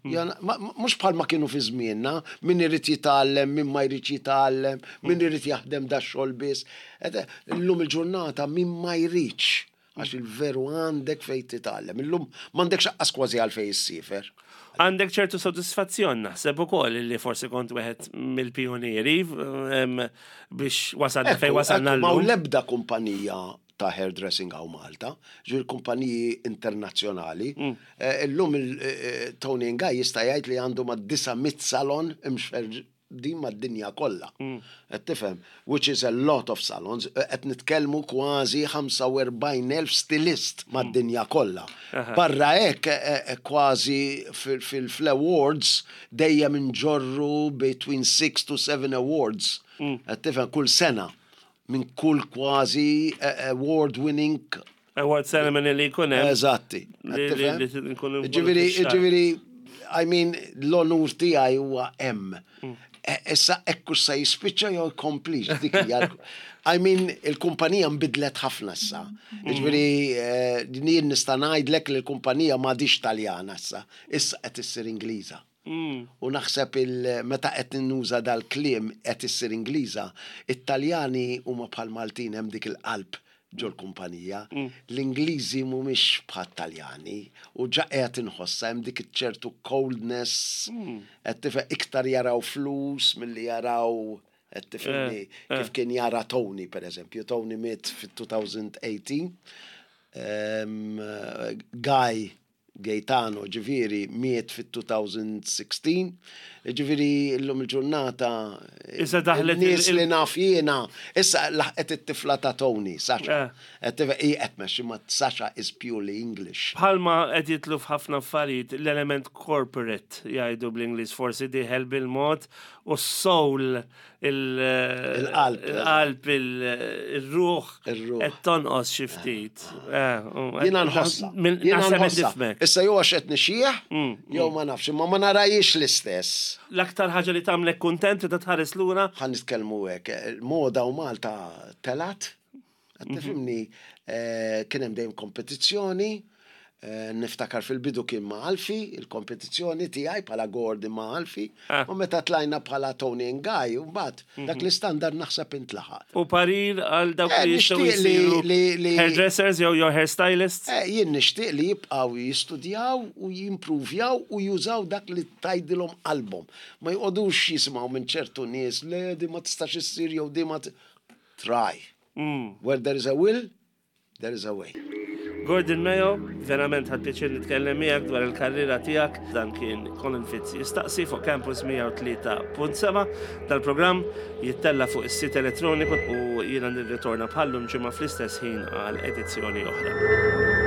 Jana- ma- ma- Mhux bħalma kienu fi żmienna, min irid jitgħallem, min ma jridx jitgħallem, min irid jaħdem da xogħol biss. Et, Illum il-ġurnata min ma jridx għax il-veru għandek fej titgħallem. Illum m'għandekx aqqas kważi għal fej issiefer. Għandek ċertu soddisfazzjon naħseb ukoll li forsi kont wieħed mill-pionieri em, biex wasalna fej wasalna Ma llum. l-ebda kumpanija ta' hairdressing hawn Malta, ġifieri kumpaniji internazzjonali. Mm. Eh, Illum il-Tony Guy jista' jgħid li għandu ma' disa' mitt salon imxerrdin mad-dinja kollha. Mm. Qed tifhem, which is a lot of salons, Eh, qed nitkellmu kważi ħamsa u erbgħin elf stilist mad-dinja kollha. Barra hekk eh, eh, kważi fil-awards dejjem inġorru between six to seven awards. Qed tifhem kull sena minn kull kważi eh, award winning Award ceremony li jkun hemm. Eżatti. Li- Qed tifhem? li- li nkunu involuti Ġifieri, fix-xagħar. ġifieri, I mean, l-onur tiegħi huwa hemm. E- Issa ekku sa jispiċċa jew jkomplix dik hija l- I mean, il-kumpanija nbidlet ħafna issa. Ġifieri, eh, jien nista' ngħidlek li l-kumpanija m'għadix Taljana issa, issa qed issir Ingliża. U naħseb il meta qed nuża dal-kliem qed issir Ingliża, it-Taljani huma bħal Maltin, hemm dik il-qalb ġol kumpanija. L-Ingliżi mhumiex bħal Taljani u ġa qed inħossa hemm dik ċertu coldness, qed tifhem, iktar jaraw flus milli jaraw, qed tifhimni, kif kien jara Tony per eżempju. Tony miet fit-elfejn u tmintax. Um, Guy Gaetano ġifieri miet fit-elfejn u sittax. Ġifieri illum il-ġurnata Issa daħlet nies il- li naf jiena, issa laħqet it-tifla ta' Tony, Sasha. Eh. Qed tifhem, hi qed tmexxi, ma Sasha is purely English. Bħalma qed jitlu f'ħafna affarijiet l-element corporate jgħidu bl-Ingliż forsi diħel bil-mod u s-soul il- Il-qalb. il-qalb il-ruħ Ir-ruħ. qed tonqos xi ftit. Eh, u- Jiena nħossa. Min- Jiena Naħseb nħossa. nifhmek. Issa jew għax qed nixjieħ, jew ma nafx, imma ma narajiex l-istess. L-aktar ħaġa li tagħmlek kuntent ta' tħares lura? Ħa nitkellmu hekk, il-moda u Malta telgħet, qed tifhimni, eh, kien hemm dejjem kompetizzjoni, eh, niftakar fil-bidu kien ma' Alfi, il-kompetizzjoni tiegħi bħala Gordon ma' Alfi, Ah. u meta tlajna bħala Tony and Guy, u mbagħad dak l-istandard naħseb intlaħaq. U parir għal dawk Eh, li jistgħu nixtieq li- jsiru li- li- hairdressers jew jew hairstylists? Eh, jien nixtieq li jibqgħu jistudjaw u jimpruvjaw u jużaw dak li tgħidilhom qalbhom. Ma jqogħdux jisimgħu minn ċertu nies le di ma tistax issir jew di ma t- Try. Where there is a will, there is a way. Gordon Mayo, verament ħadt pjaċir nitkellem miegħek dwar il-karriera tiegħek. Dan kien Colin Fitz jistaqsi fuq Campus mija u tlieta punt seba'. Dal-programm jittella fuq is-sit elettroniku u jiena nirritorna bħallum ġimgħa fl-istess ħin għal edizzjoni oħra.